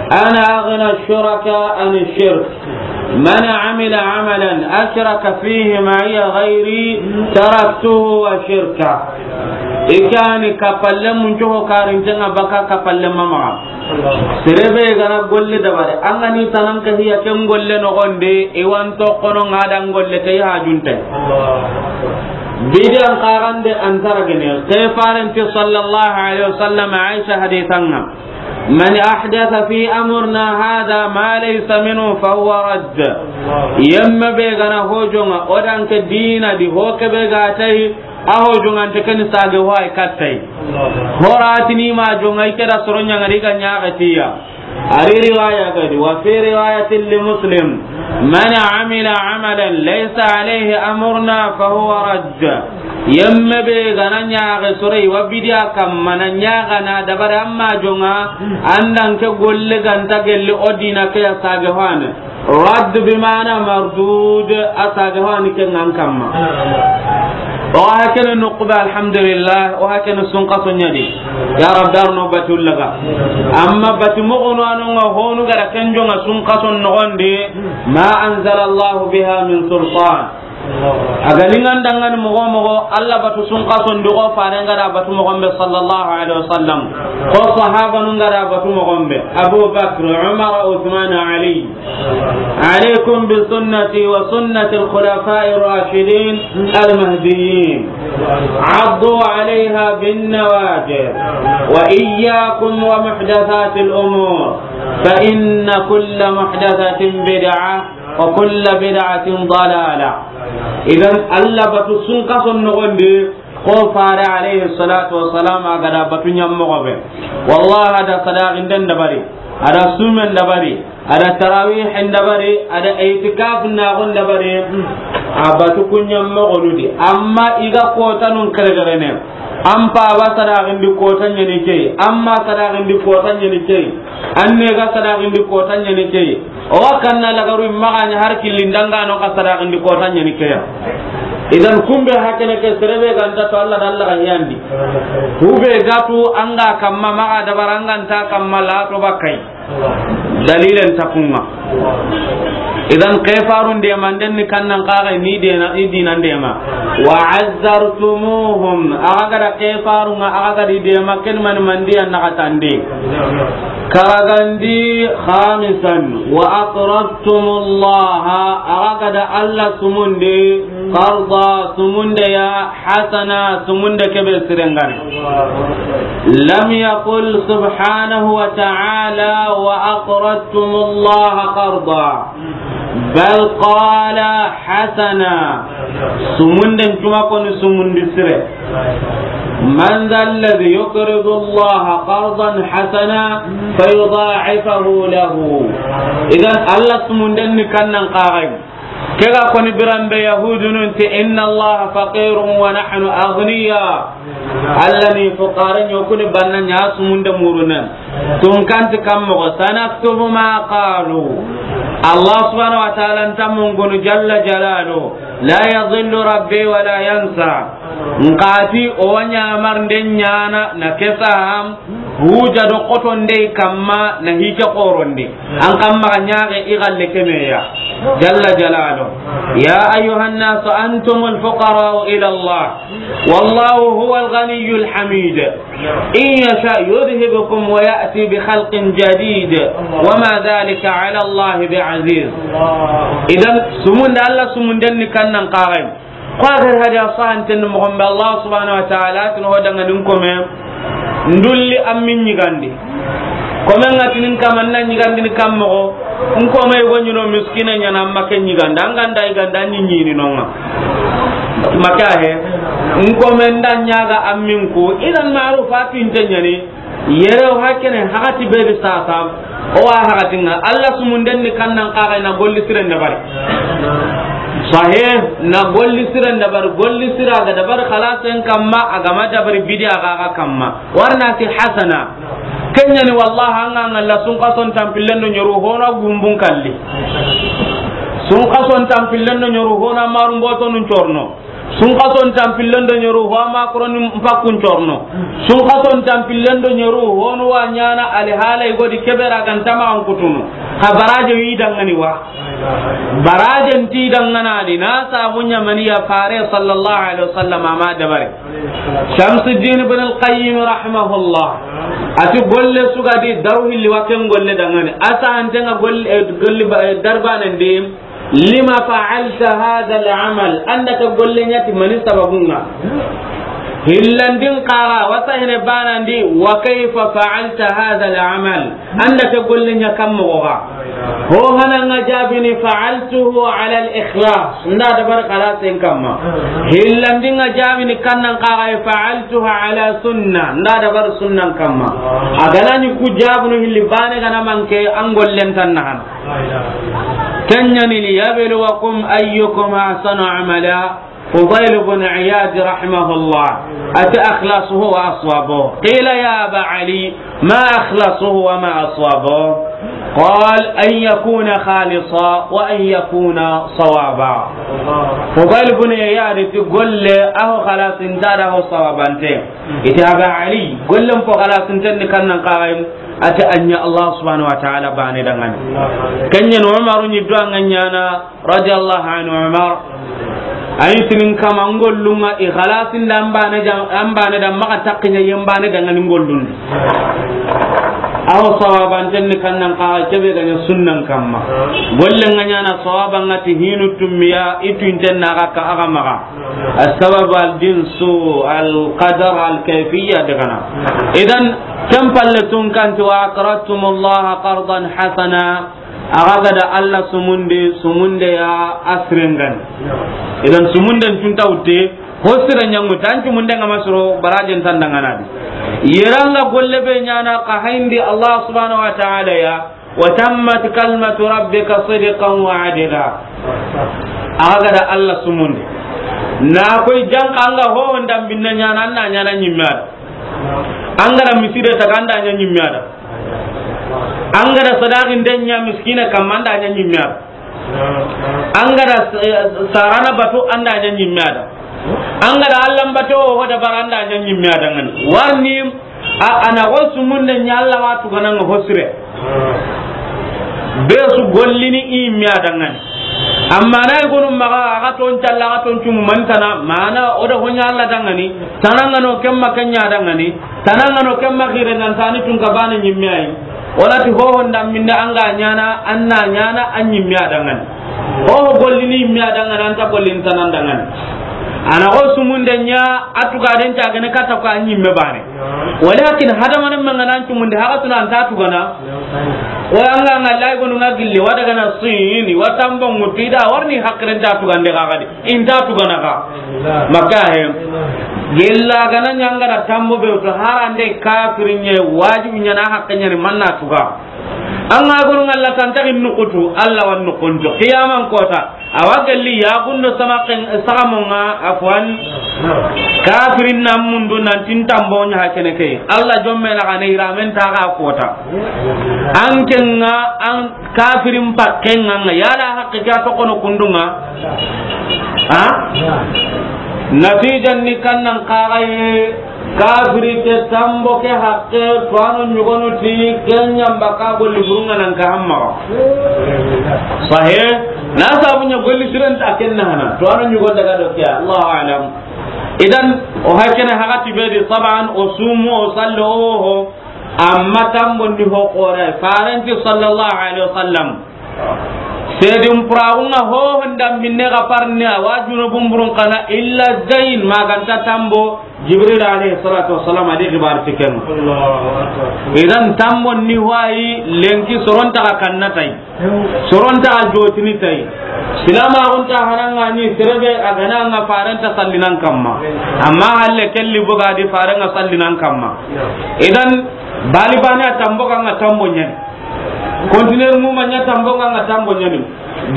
أنا أغنى الشركاء عن الشرك. من عمل عملا أشرك فيه معي غيري تركته وشركه. I ke ni kappalle mun cogo karinten ŋa baka kappalle ma maxa. Sere be ga na golle dabari, an ga ni tanan ka hiya ken golle noxon di, i wa n toxo no ŋa da n golle ke i hajunte. Bidiyan xarande an taragene, ke Faren ti sallallahu alayhi wasallam, Aisha hadisan ŋa. من أحدث في أمرنا هذا ما ليس منه فهو رد. Yemme be ga na ho jonŋa, o da n ke diina di, ho ke be ga tay, a ho jonŋa nte ken sage ho ay kattay. Horatini ma jonŋa, i ke da soro ɲaŋari ga ɲaxe tiya. Ari riwaya ga di, وفي رواية لمسلم. من عمل عملا ليس عليه أمرنا فهو رد. Yemme be ga na ɲaxe soro i wa bidiya kamma na ɲaxa na dabari amma jonŋa, an da ke golle ga nta gelli o diina ke ya sage hane. Radd bi maana mardud, a sage hane ke ŋa an kamma. O hakene nuqba, alhamdulillah, o hakene sunkaso ɲa di. Ya Rabbi, ar no batu laga. Amma batu moxonu a no ŋa honu ga ra ken jonŋa sunkaso noxon di, ma anzala Allahu biha min sultan. A ga ni ŋa n da ŋa ni moxo moxo, Alla batu sunkason di xo faaren ga da batu moxon be sallallahu alaihi wasallam. Xo sahabanun ga da batu moxon be. Abu Bakr, Umar, Uthman, Ali. عليكم بسنتي وسنة الخلفاء الراشدين المهديين. عضوا عليها بالنواجذ. وإياكم ومحدثات الأمور. فإن كل محدثة بدعة. وكل بدعة ضلالة. Idan, Alla batu sunkason noxon di, xo faare alayhi salatu wassalam a ga da batu ɲammoxo be. Wallahi, a da sadaxinden dabari, a da sumen dabari, a da tarawihen dabari, a da itikaf naxon dabari, a batu ku ɲammoxonu di. Amma i ga kotanun kerekerene, an paba sadaxindi kota ɲa ni ke yi, an ma sadaxindi kota ɲa ni ke yi, an ne ga sadaxindi kota ɲa ni ke yi. O wa kanna lagaru maxa ɲa har killi n da ŋa no xa sadaxindi kota ɲa ni ke ya. Idan kumbe hakene ke sere be ga nta to Alla da Alla ga yandi. Kube ga tu an ga kamma maxa dabara an ga nta kamma la to bakay. Dalilen ta ku ŋa. Idan kefarun de manden ni kannan kaga ni de na i dinan de ma. Wa azzartumuhum, a ga da kefarun ŋa, a ga di de ma ken man mandi an na katande. Karagandi khamisan, wa aqradtumullaha, a ga da Alla sumunde, qarda sumunde ya, hasana sumunde kebe sirengane. Lam yaqul subhanahu wa ta'ala, wa aqradtumullaha qarda. Bal qala hasana. Sumunden cuma koni sumundi sire. Man dha alladhi yuqridu Allaha qardan hasana fayudha'ifahu lahu. Idan Alla sumunden ni kannan kaga. Ke ga koni biranbe Yahudunun ti, "Inna Allaha faqirun wa nahnu aghniya." Alla ni fuqara ɲo kuni banna ɲa sumunde murunen. Tunkanti kammoxo, "Sanaktubu ma qalu." Allah subhanahu wa ta'ala nta mungunu jalla jalalu. La yadhillu rabbi wa la yansa. Nkati o wa ɲamarnde ɲana na kesaham. Huja do xotonde kamma na hike xorondi. An kamma ga ɲaxe i galle kemeya. Jalla jalalu. Ya ayyuhan nasu antumul fuqara'u ila Allah. Wallahu huwal ghaniyyul hamid. In yasha yudhhibkum wa ya'ti bi khalqin jadid. Wa ma dhalika ala Allah bi aziz. Idan sumunda Allah sumunden ni kannan kagai. Ko a gari hadi a sahanten moxon be, Allah subhanahu wa ta'ala tini ho danga nin kome ndulli an min ɲigandi. Kome nga tinin kama na ɲigandi ni kam moxo, n kome yugo ɲino miskina ɲana, an make ɲiganda, an ganda yiganda ɲi ɲini nonga. Make a he, n kome nda ɲaga an min ku, idan ma'ruf a tinte ɲani. Yere o hakene hakati be di sasa, o wa hakati nga Allah sumunden ni kannan kaga na golli siren dabari. Sahih, na golli siren dabari, golli sira ga dabari khalasen kamma, a gama dabari bidiya ga ga kamma. Warna ti hasana. Kenyani wallahi an ga ngalla sun kason tampillen do ɲoru hona gumbun kalli. Sun kason tampillen do ɲoru hona marun botonun corno. Sun kason tampillen do ɲoru ho a ma koroni mpakkun corno. Sun kason tampillen do ɲoru honu wa ɲana ali halay godi kebera gantama an kutunu. Ka baraje wi dangani wa. Baraje nti dangana di na sabu ɲamani ya fare sallallahu alaihi wasallam ama dabari. Shamsuddin ibn al-Qayyim rahimahullah. Ati golle sugadi daru hilli wa ken golle dangani. Asa antenga golle, eh, golle ba, eh, darbanen di. Lima fa'alta hadha al-amal, an da ka golle ɲa ti mani sababun ŋa. Hillandin kaga, wasa hene banandi, wa kayfa fa'alta hadha al-amal? An da ke golle ɲa kan moxo ga? Ho hana nga jaabini, fa'altuhu ala al-ikhlas, n da dabari xalasin kamma. Hillandin nga jaabini kan nan kaga, fa'altuha ala sunna, n da dabari sunnan kamma. A ga na ni ku jaabunu hilli bane ga na manke, an gollen tan na hana. Ken ɲa ni, liyabluwakum ayyukum ahsanu amala. Fudail bin Iyad rahimahullah, ati, "Akhlasuhu wa aswabuhu." Qila, "Ya Aba Ali, ma akhlasuhu wa ma aswabuhu?" Qal, "An yakuna khalisan wa an yakuna sawaba." Fudail bin Iyad ti golle, a ho xalasinta da ho sawabante. Iti, Aba Ali, gollen po xalasinten ni kan nan kaga yi? Ati, a ɲa Allah subhanahu wa ta'ala bane dangani. Ken ɲa ni Umaru ɲi do an ga ɲana, radiyallahu anhu, Umar. Ayi tinin kama, n gollun ŋa i xalasin da an bane da, an bane da maxa takkiɲa yen bane da ŋa ni n gollun. Awo sawabanten ni kan nan kaga kebe ga ɲa sunnan kamma. Gollen ŋa ɲana sawaban ŋa ti hinu tummiya, i tuinten na ga ka a ga maxa. As-sabab al-jinsu, al-qadar, al-kayfiyya de gana. Idan, ken palle tun kan ti, "Wa aqradtumullaha qardan hasana." A ga ga da Allah sumundi, sumunde ya a siren ga ni. Idan sumunden tun ta wutte, ho sire ɲa ŋu, tan sumunden ga ma soro, barajen tan dangana di. Yere an ga golle be ɲana ka hayindi Allah subhanahu wa ta'ala ya, "Wa tammat kalimatu rabbika sidqan wa adla." A ga ga da Allah sumundi. Na koy janka an ga ho ndam binne ɲana, an na ɲana ɲimme a da. An ga da misire taga, an da ɲa ɲimme a da. An ga da sadaqin den ɲa miskine kamma, an da ɲa ɲimme a da. An ga da, eh, sarana batu, an da ɲa ɲimme a da. An ga da Allah n batu, ho da bara, an da ɲa ɲimme a da ŋa ni. Warni a, a na ho sumunde ɲa Allah wa tugana ŋa ho sire. Be su gollini i ɲimme a da ŋa ni. Amma na i gonu maxa, a ga ton calla, a ga ton cumu man tana, mana o da ho ɲa Allah da ŋa ni. Tana ŋa no kemma ken ɲa da ŋa ni. Tana ŋa no kemma xire nan tani tun ka bana ɲimme ayi. Wala ti ho ho ndam binne an ga ɲana, an na ɲana, an ɲimme a da ŋa ni. Ho ho gollini ɲimme a da ŋa ni, an ta gollini tana n da ŋa ni. A na ho sumunde ɲa, a tugaden ta gene kata ko an ɲimme bane. Walakin hadamaren manga nan cumundi, haga tuna an ta tugana. O an ga ŋa lay gonu ŋa gille, wa daga na sini, wa tambo ŋutu, i da warni hakiren ta tugande ga ga di. I nta tugana ga. Makka he. Gella ga na ɲa an ga da tambo be to, harande kafirin ɲa, wajibi ɲa na hakke ɲa ni manna tuga. An ga gonu ŋa Allah tan ta gin nukutu, Allah wan nukunto. Qiyaman kota. Awa gelli yaxundo sama ken, saxamonŋa, afwan. Kafirin nan mundu nan ti n tambo ɲa ha kene ke. Allah jomme na gane iramen ta ga kota. An kenŋa, an kafirin pakkenŋa ŋa. Yala hakke ke a toxono kundunŋa. Ha? Natijan ni kan nan kaxaye. Kafiri ke tambo ke hakke, tuwano ɲugonu ti, ken ɲamba ka golli burunŋa nan ka hamma. Sahe, na sabu ɲa golli siren ta ken na hana, tuwano ɲugon daga do ke, Allahu a'lam. Idan, o hakkene hakati be di, taban, o sumu, o sallo, o ho, amma tambo ndi ho kore, farenti sallallahu alaihi wasallam. Sedin puraxunŋa ho honda minne ga parni a wa junubun burun kana illa zain maganta tambo Jibril alayhi salatu wassalam a di xibar ti ken. Allahu akbar. Idan tambo ni wayi lenki soronta ga kanna tay. Soronta ga jotini tay. Silama gunta hananga ni serebe a gana nga faranta sallinan kamma. Amma halle kelli buga di faranga sallinan kamma. Idan bali bani a tambo ga nga tambo nyen. Kontineri mu ma ɲa tambo nga nga tambo ɲani.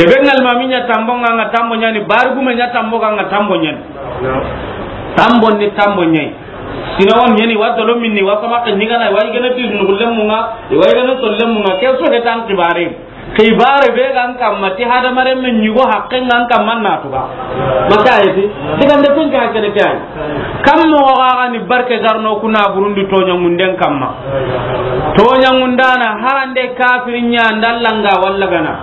Debe ngal ma mi ɲa tambo nga nga tambo ɲani. Bari gume ɲa tambo nga nga tambo ɲani. Tambo ni tambo ɲai. Sina won ɲani wa dolo minni wa sama ke ni gana wa igana ti nugullem mu nga wa igana sollem mu nga ke so hetan kibare. Kibare be gan kamma ti hadamaren men ɲugo hakken gan kamma na tuga. Maka ayeti. Digan de kun ka kene kay. Kam mo ga ni barke garno kuna burundi toɲa ngunden kamma. Toɲa ngundana harande kafirin ɲa ndallanga walla gana.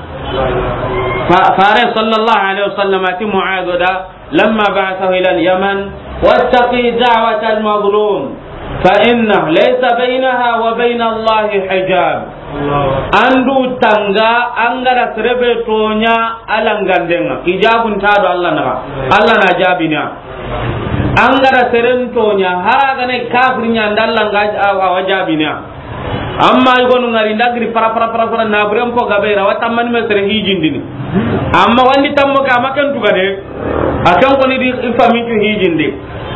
Fa-, fare sallallahu alaihi wasallam ati Mu'adh da lamma ba'athahu ila al-Yaman, "Wattaqi da'wata al-mazlum, fa inna laysa bainaha wa baina Allahi hijab." Andu tanga angara serebe toɲa alangandenga. Ijabun ta do Allah naga. Allah na jabina. An ga da seren toɲa, hari a ga na kafiri ɲa, an da Alla ŋa a wa jaabini ya. Amma i gonu ŋari nda giri fara fara fara fara, na buren po gabe ra, wa tammani me sere hijindini. Amma wandi tammo ka ma ken tuga de. A ken koni di i fami tu hijinde.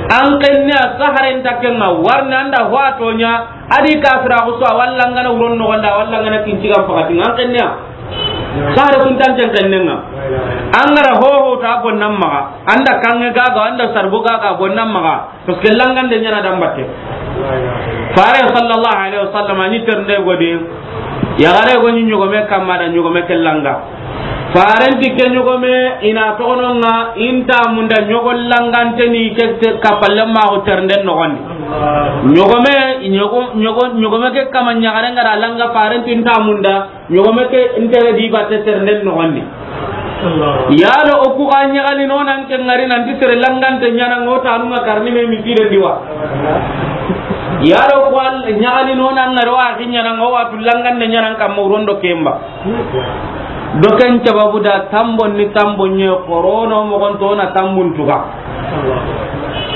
An kenne a saharen ta ken ŋa, warni an da ho a toɲa, a di kafira ko so, a walla ŋa na wuron noxon da, a walla ŋa na kincigan pakati ŋa, an kenne a. Sahare kun tanten kennen ŋa. An ga ra hoho ta bonnan maxa, an da kanŋe gaga, an da sarbo gaga bonnan maxa, parce que langande ɲa na dambatte. Fare sallallahu alaihi wasallam a ni ternde godi, yaxare go ni ɲogome kamma da ɲogome ke langa. Faren ti ke ɲogome i na toxono ŋa, i nta munda ɲogo langante ni ke te kapalle ma o ternden noxondi. Ɲogome, ɲogo, ɲogo, ɲogome ke kama ɲaxare ŋa ra langa, faren ti nta munda. Ɲogome ke n tere di batte ternden noxondi. Yalo o ku ga ɲaxali no nan ke ŋari nanti sere langante ɲa na ŋo tanu ŋa karni me misiden di wa. Yalo o ku ɲaxali no nan ŋari wa xi ɲa na ŋo wa tu langande ɲa na kamma wuron do kemba. Do ken sababu da tambon ni tambon ɲe xorono moxon to na tambun tuga.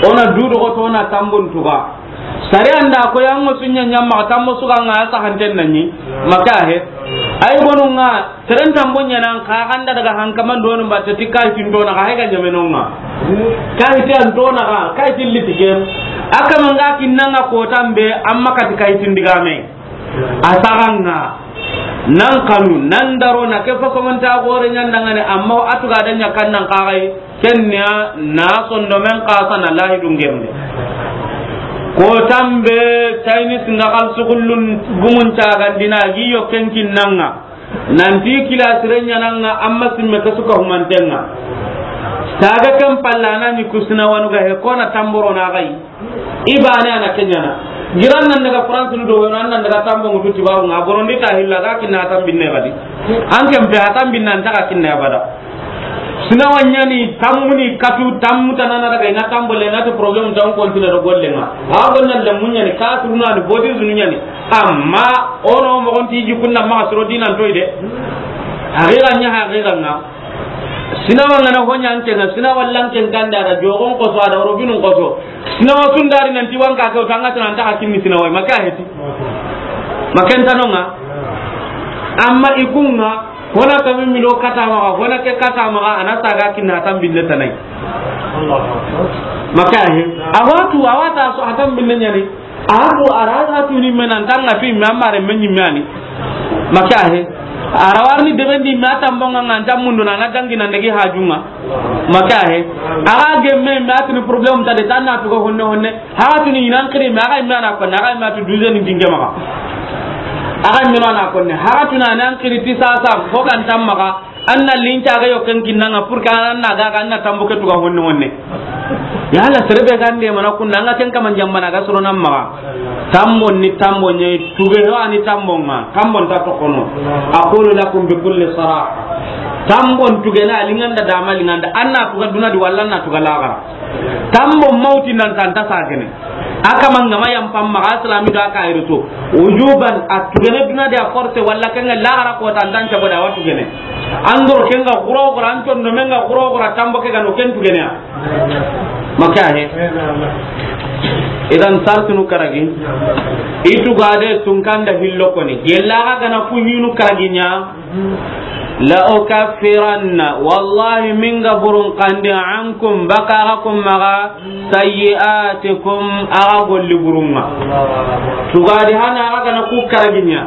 O na dudo to na tambun tuga. Sariya nda ko yango sunya ɲamma tammo suga ŋa sa hanten nanyi. Maka he. Ay gonu ŋa, seren tambo ɲa nan ka ganda daga hankaman donu batte ti kay tin dona ka he ga ɲame no ŋa. Kay ti an dona ka, kay ti litikem. Aka manga kinna ŋa ko tambe, amma ka ti kay tin digame. A saga ŋa. Nan kanu, nan daro na ke fa ko man ta gore ɲan dangane, amma atu ga da ɲa kan nan ka gai. Kenya na sondomen kasa na lahidun gemde. Ko tambe Chinese nga kal sugullun gumun cagandina gi yo ken kinnanga. Nanti kila sirenya nanga amma simme ka suka humantenga. Saga kan pallana ni kusina wanu ga he kona tamboro na gai. Ibane ana kenyana. Giran nan daga France nu do weno nan daga tambo ngutu tibaru nga borondi ta hilla ga kinna tambinne gadi. An ken pe a tambinna an ta ga kinna abada. Sina wanyani tamuni katu tamu tanana daga ina tambo le na to problème tan continue do golle nga. Ha gonna le munyani ka suruna ni bodi zunu nyani. Amma ono mo gonti ji kunna ma suro dinan toy de. Haqiqa nya haqiqa nga. Sina wangana honya anke nga sina wallan ken kanda da jogon ko so ada robinun ko so. Sina wa sundari nan ti wanka ko tanga tan ta hakin ni sina wa maka heti. Makan tanonga. Amma ikunga hona kami milo kata maga, hona ke kata maga, ana saga kinna tambille tanai. Maka he. Awatu, awata so atam binne nyani. Abu araga tu ni menan tanga tu mi amare menyi mani. Maka he. Arawarni debendi mata mbonga nganta mundu na na dangi na ndegi hajunga. Maka he. Aga gemme mata ni problème ta de tanna tu ko honne honne. Haga tuni inan kiri me aga imana ko na aga imatu duze ni dinge maka. Aga imana na ko ne haga tuna nan kiri ti sasa ko kan tamma ka anna linca ga yo ken kinnanga pour que anna ga ga anna tambo ke tuga honne honne. Ya la serebe gande mana kunna nga ken kaman jambana ga soro nan maga. Tambo ni tambo nye tuge no ani tambo nga tambo ta to kono. Aqulu lakum bi kulli saraha. Tambo tuge na linganda dama linganda anna tuga duna di walla na tuga laga. Tambo mauti nan tanta sagene. Aka mangama yam pam maga islami da ka irito. Ujuban atugene duna de a force walla kenga lagara ko tan dan cabo da watugene. Andor kenga guro guro anton do menga guro guro tambo ke gano ken tugene ya. Maka he. Idan sartunu karagi. Itu gade tunkanda hillo koni. Gella ga gana funyunu karaginya. La ukaffiranna, wallahi min ga burun kandi ankum baka ga kum maga sayyi'atikum aga golli burunga. Tugadi hana aga gana ku karaginya.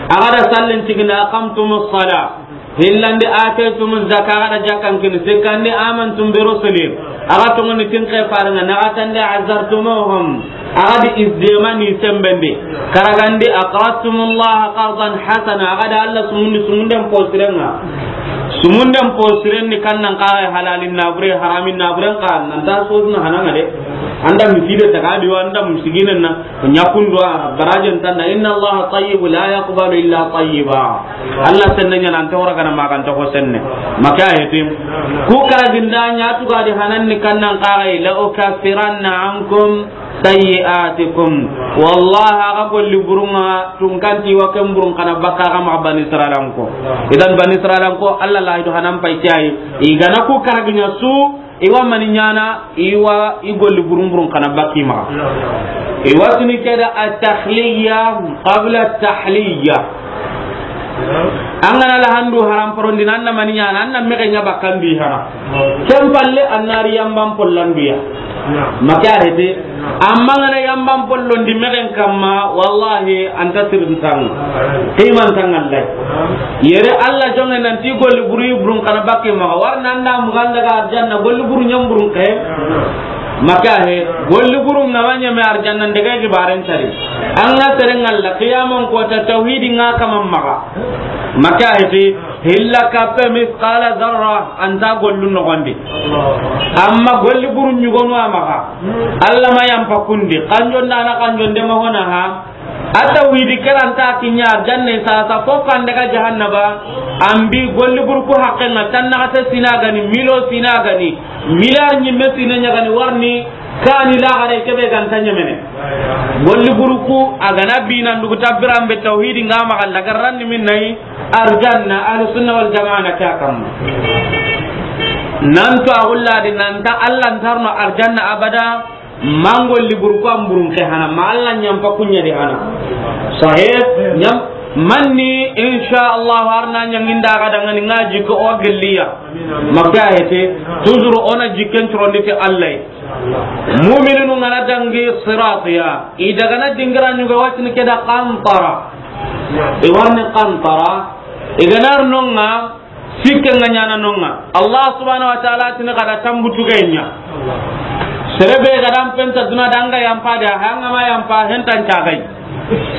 Aga da sallin tigina aqamtumus sala. Hillandi ataytumuz zaka aga da jakkan kin sikandi amantum bi rusuli. Aga tongoni tin ke faranga nagatande azartumuhum. Aga di izdemani sembende. Karagandi aqrastumullaha qardan hasana. Aga da Allah sumundi sumunden posirenga. Sumunden posirenni kannan kaga halalin nabure haramin naburen ka nan da sosna hananga de. Anda miside tagadi wa anda misiginen na nyakundo barajen tanda inna Allah tayyib la yaqbalu illa tayyiba. Allah senne nya nan tawra kana makan to senne. Maka yetim. Ku karaginda nya tugadi hananni kannan kaga la ukaffiranna ankum sayyi'atikum. Wallahi aga golli burunga tunkanti wa ken burun kana baka ga ma bani israilanko. Idan bani israilanko Allah la ido hanan pay kiyai. Igana ku karaginya su I wa mani ɲaana, i wa i golli burun burun xana bakka i maxa. I wa tini ke da at-takhliya qabla at-tahliya. An ga na lahandu haram porondi, an na mani ɲaana, an na mexe ɲa bakka an di hana. Ken palle an na ri yanban pollandu ya. Ma ke a hete. Amma an ga na yanban pollondi mexen kamma, wallahi, an ta sirin tanga. Qiman tanga Allah. Yere Allah jonge nan ti golli buru burun xana bakka i maxa. Wari nan da mugan daga arjanna, golli buru ɲan burun ke. Ma ke a he, golli buru ŋa ma ɲeme arjanna, n daga gibaren tari. An ga seren ŋa la qiyaman kota tawhidi ŋa kaman maxa. Ma ke a hete, hilla kappe misqala zarra, an ta gollu noxondi. Amma golli buru ɲugonu a maxa. Allah ma yanpa kundi. Kanjon da na kanjon de ma hona ha. A tawhidi ke ra nta kiɲa arjanna sasa, fo kan daga jahannaba. An bi golli buru ku haqqen ŋa, tan naxate sina gani, milo sina gani, miliar ɲimme sina ɲa gani, warni kani laxare ke be ga nta ɲemene. Golli buru ku a ga na bi nan dugu tabiran be tawhidi ŋa maxa, lagarran ni min nayi arjanna, ahlu sunna wal jamaa na ke a kamma. Nan to a gulla di nan ta Allah nta arno arjanna abada. Ma golli buru ku an burun ke hana, ma Allah ɲanpa ku ɲa di hana. Sahih, ɲam, manni, insha Allah, arna ɲanginda ga dangani ŋa jikko o gelliya. Ma ke a hete, toujours o na jikken turondi ti Allah. Mu'mininu ŋa na dangi sirat ya, i daga na dingira ɲuga wa tini ke da qantara. I warni qantara, i ga na ri no ŋa, Sikke ŋa ɲaana no ŋa. Allah subhanahu wa ta'ala tini xa da tambutu ga ɲa. Sere be ga da an penta duna da an ga yanpa de, an ga ma yanpa, hen tan cagai.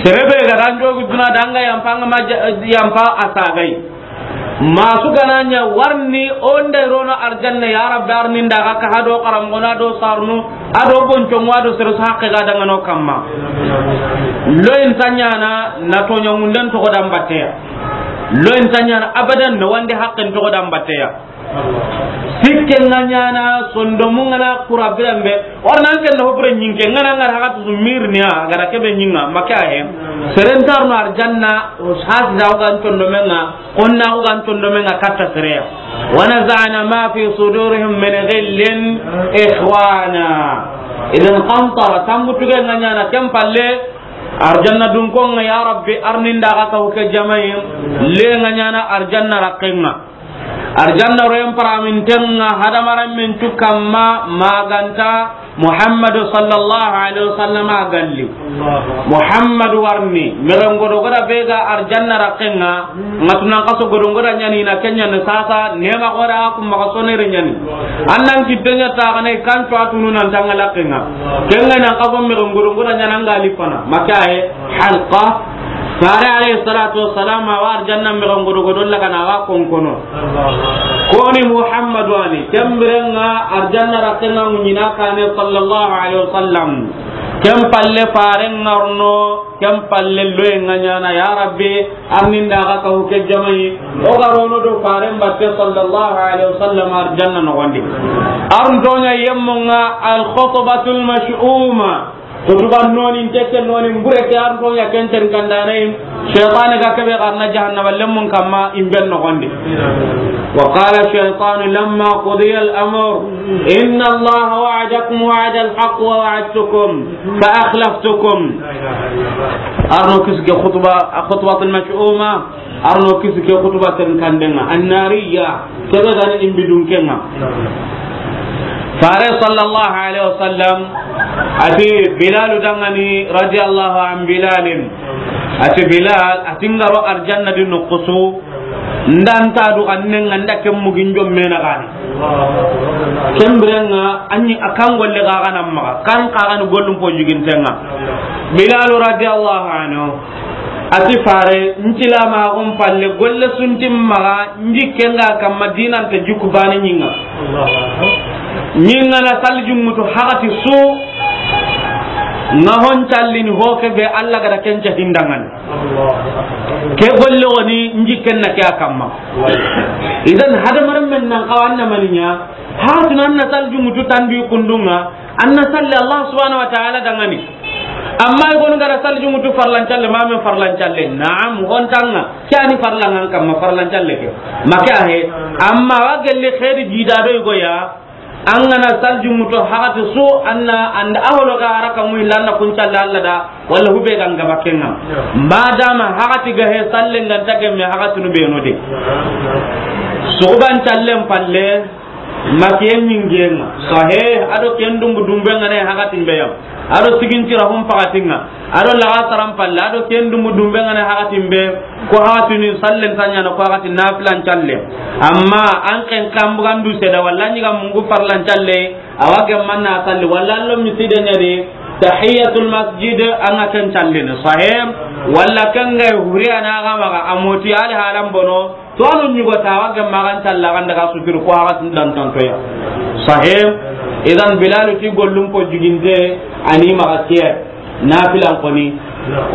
Sere be ga da an jogu duna da an ga yanpa, an ga ma ja-, yanpa, a sagai. Masu ga na ɲa warni o nda i rono arjanna, ya Rabbi, arni n da ga ka hado karam gona do sarnu, ado bonco ŋa do sere su haqqe ga dangano kamma. Lo in ta ɲaana na toɲa ŋunden toxo da n batteya. Lo in ta ɲaana abadan na wande haqqen toxo da n batteya. Sikke ŋa ɲaana sondomu ŋa na kura biran be. Warna an ken na ho bure ɲinke ŋa na ŋa na haqatu su mirni ya, a ga da ke be ɲi ŋa, ma ke a he. Seren ta arno arjanna, o hasi da o ga n condomen ŋa, konna o ga n condomen ŋa katta sere ya. Wa naza'na ma fi sudurihim min ghillin ikhwana. Idan qantara, tambutu ga ŋa ɲaana ken palle, arjanna dunkon ŋa, ya Rabbi, arni n da ga ka huke jamayin, le ŋa ɲaana arjanna raqqen ŋa. Arjanna royen paraminten ŋa hadamarenmen cu kamma ma ga nta Muhammadu sallallahu alaihi wasallam a galli. Muhammadu warni, mexen godo goda be ga arjanna raqqen ŋa, ŋa tunan kaso godo goda ɲani na ke ɲani sasa, nema goda ku maxa sonere ɲani. Annan kitte ɲa ta gane kan to atunu nan tanga laqqen ŋa. Ken ŋa nan kaso mexen godo goda ɲana ŋa li fana. Ma ke a he. Halqa. Fare alayhi salatu wassalam, a wa arjanna mexen godo godo lagana, a wa konkono. Koni Muhammadu ani, ken biren ŋa arjanna raqqen ŋa ŋuɲina kane sallallahu alaihi wasallam. Ken palle faren ŋa ri no, ken palle loyen ŋa ɲaana, ya Rabbi, arni n da ga ka huke jamayi. O ga ro no do faren batte sallallahu alaihi wasallam arjanna noxondi. Arntoɲa yemmo ŋa al khutbatul mash'uma. Kutuba nonin tekke nonin bure ke arntoɲa ken ten kandane. Shaytan ga ke be ga na jahannaba lemmun kamma in ben noxondi. Wa qala shaytanu lamma qudiya al amr inna Allaha wa'adakum wa'da al haqq wa wa'adtukum fa akhlaftukum. Arno kisi ke khutba, khutbatul mash'uma. Arno kisi ke khutba ten kanden ŋa, annariya, ke be ga ni imbi dunken ŋa. Fare sallallahu alaihi wasallam ati Bilal dangani radiyallahu an Bilalin. Ati Bilal, ati n ga ro arjanna di noxusu, n da n ta du xannen ŋa, n da ken mugin jomme na gani. Ken biren ŋa, anyi akan golle ga gana maxa, kan xa gani gollum po jiginten ŋa. Bilal radiyallahu anhu. Ati fare, n tilamaxun palle, golle suntin maxa, n jikken ga kamma dinante jikku bane ɲi ŋa. Ɲi ŋa na salji ŋutu haxati su, ŋa hon callini ho ke be Allah ga da ken ca hindangani. Ke golle woni n jikken na ke a kamma. Idan hadamarenmen nan xawa an na mani ɲa, haxati na an na salji ŋutu tandu kundun ŋa, An na salli Allah subhanahu wa ta'ala dangani. Amma i gonu gara salli jungutu farlancalle, ma men farlancalle. Naam, hontanŋa. Ke ani farlanŋan kamma farlancalle ke. Ma ke a he. Amma wa gelli xeeri jida do i go ya. An ga na salju muto haqati su, an na, an da a holo ga a ra ka mu illa, an na kun calle Alla da, walla hube ga n gaba ken ŋa. Madama haqati ga he, sallen ga nta gemme haqatinu be no de. Suxuban callen palle, ma ke ɲinge ŋa. Sahe, a do ken dumbu dumbe ŋa ne haqatin be ya. A do sigintira hum pakatin ŋa. A do laxasaran palle, a do ken dumbu dumbe ŋa ne haqatin be. Ko haqatini sallen ta ɲaana, ko haqati nafilan calle. Amma an ken kambugandu seda, walla ɲi ga mungu farlan calle, a wa gemma na salli, walla allo miside ɲa de, tahiyatul masjid, an ga ken callini, sahe, walla ken ga huri a na ga maxa, a moti ali halan bono, to anu ɲugo ta, a wa gemma ga n calla, ga n daga suturu, ko haqatin dantantoya. Sahe, idan Bilalu ti gollum po juginte, a ni maxa kiye. Nafilan koni.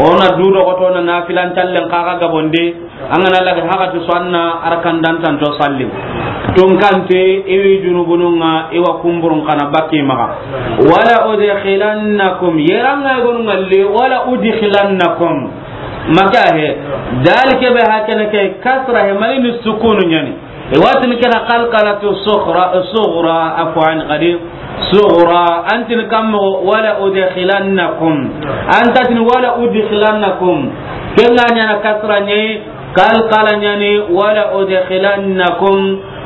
O na du do ko to na nafilan callen kaga gabonde. An ga na laga haqati su, an na arkan dantanto salli. Tunkante, i wi junubunun ŋa, i wa kumburun kana bakki maxa. Wala udkhilannakum, yeran ŋa gonu ŋalli, wala udkhilannakum. Maka he, dal ke be hakene ke kasra he, mani ni sukunu ɲani. I wa tini ke na qalqalatu sughra, sughra, afwan, qadi, sughra, an tini kam mo, wala udkhilannakum. An ta tini wala udkhilannakum. Ke ŋa ɲaana kasra ɲi, qalqala ɲani, wala udkhilannakum.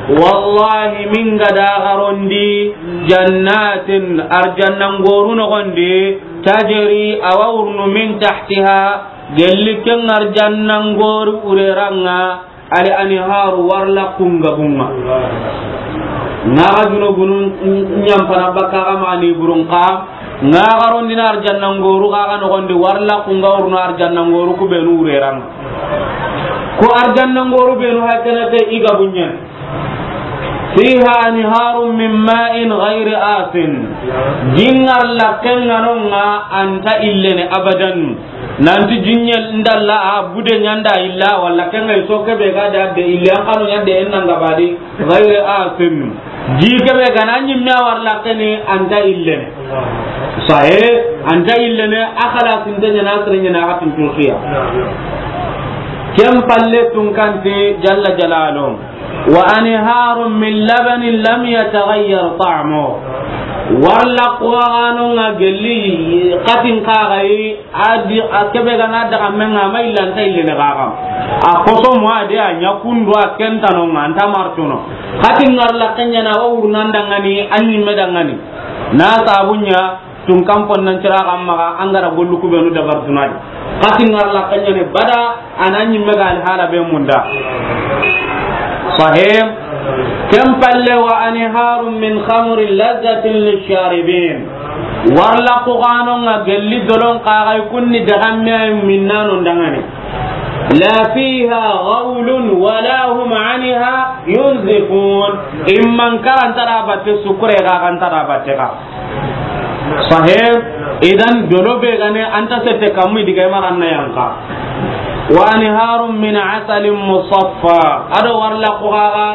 Wallahi, min ga da garondi, jannatin, arjannan goru noxondi, tajri, a wa wurunu min tahtiha, gelli ken arjannan goru ureranŋa, al anharu, warla kunga bunga. Ŋa ga junubunu ɲampana bakka ga mani burun ka, ŋa ga rondina arjannan goru ga ga noxondi, warla kunga wurunu arjannan goru ku benu ureranŋa. Ko arjannan goru benu hakana te i ga bunɲa. Fiha anharun min ma'in ghayri asin. Jingar la kenga nonga anta illene abadan. Nanti jinɲe ndalla a bude ɲanda illa, walla kenga iso kebe ga da de ille, an kanu ɲande en nanga badi, ghayri asin. Ji kebe ga na ɲimme a war lakkeni anta illene. Sahe, anta illene, a khalasinte ɲana, sere ɲana, a xatin turkiya. Ken palle tunkanti jalla jalalu. Wa anharun min labanin lam yataghayyar ta'muhu. Warla kuxaxanonga gelli xatin kaxayi, a di, a kebe gana daga menga ma illanta illene xaxa. A koso mo a de a ɲa kundu a kentanonga anta martuno. Xatin ngar la kenyana wa wurnan dangani, a ɲimme dangani. Na sabunya, Tunkan ponnan cira xa maxa, an ga ra gollu kubenu dabar tunadi. Xatin ngar la kenyane bada, a na ɲimme ga alhala be munda. Sahih. Ken palle wa anharun min khamrin lazzatin lisharibin. Warla kuxanonga gelli dolon kaxay kunni dagamme ay minnano ndangani. La fiha ghawlun wala hum anha yunzifun. Imman karanta da batte sukure ga kanta da batte ka. Sahih. Idan dolo be gane anta sette kammi diga maranna yanka. Wa anharun min asalin musaffa. Ado warla kuxaxa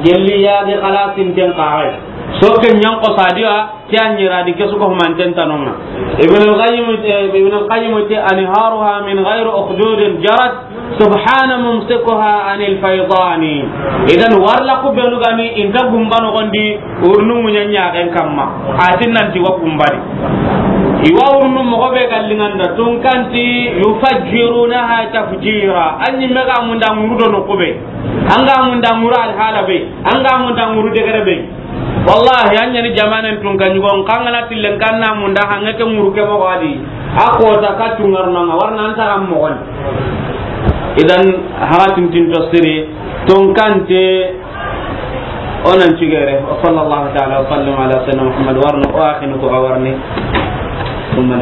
gelli yage xalasinten kaxay. Soke ɲanko sadiya, ke a ɲira di ke suko humanten tanonga. Ibn al-Qayyim, eh, Ibn al-Qayyim te, "Anharuha min ghayri ukhdudin jarat, subhana mumsikuha anil faydani." Idan warla ku benu gani inta gumba noxondi, urnu muɲa ɲaxen kamma. Atin nanti wa gumbadi. Iwa urnu moxo be gallinganda tunkanti yufajjirunaha tafjira. Anyi mega munda nguru do no kube. Anga munda nguru alhala be. Anga munda nguru degere be. Wallahi, an ɲani jamanen tun ka ɲugo, n kangana tillen kanna munda hange ke ŋuru ke moxo adi. A kota ka tungarnanga, warna anta ram moxon. Idan, haga tintin to siri, tonkante, onan cigere. Wa sallallahu ta'ala wa sallam ala sayyidina Muhammad, warno, o akhinu ko awarni. Thumma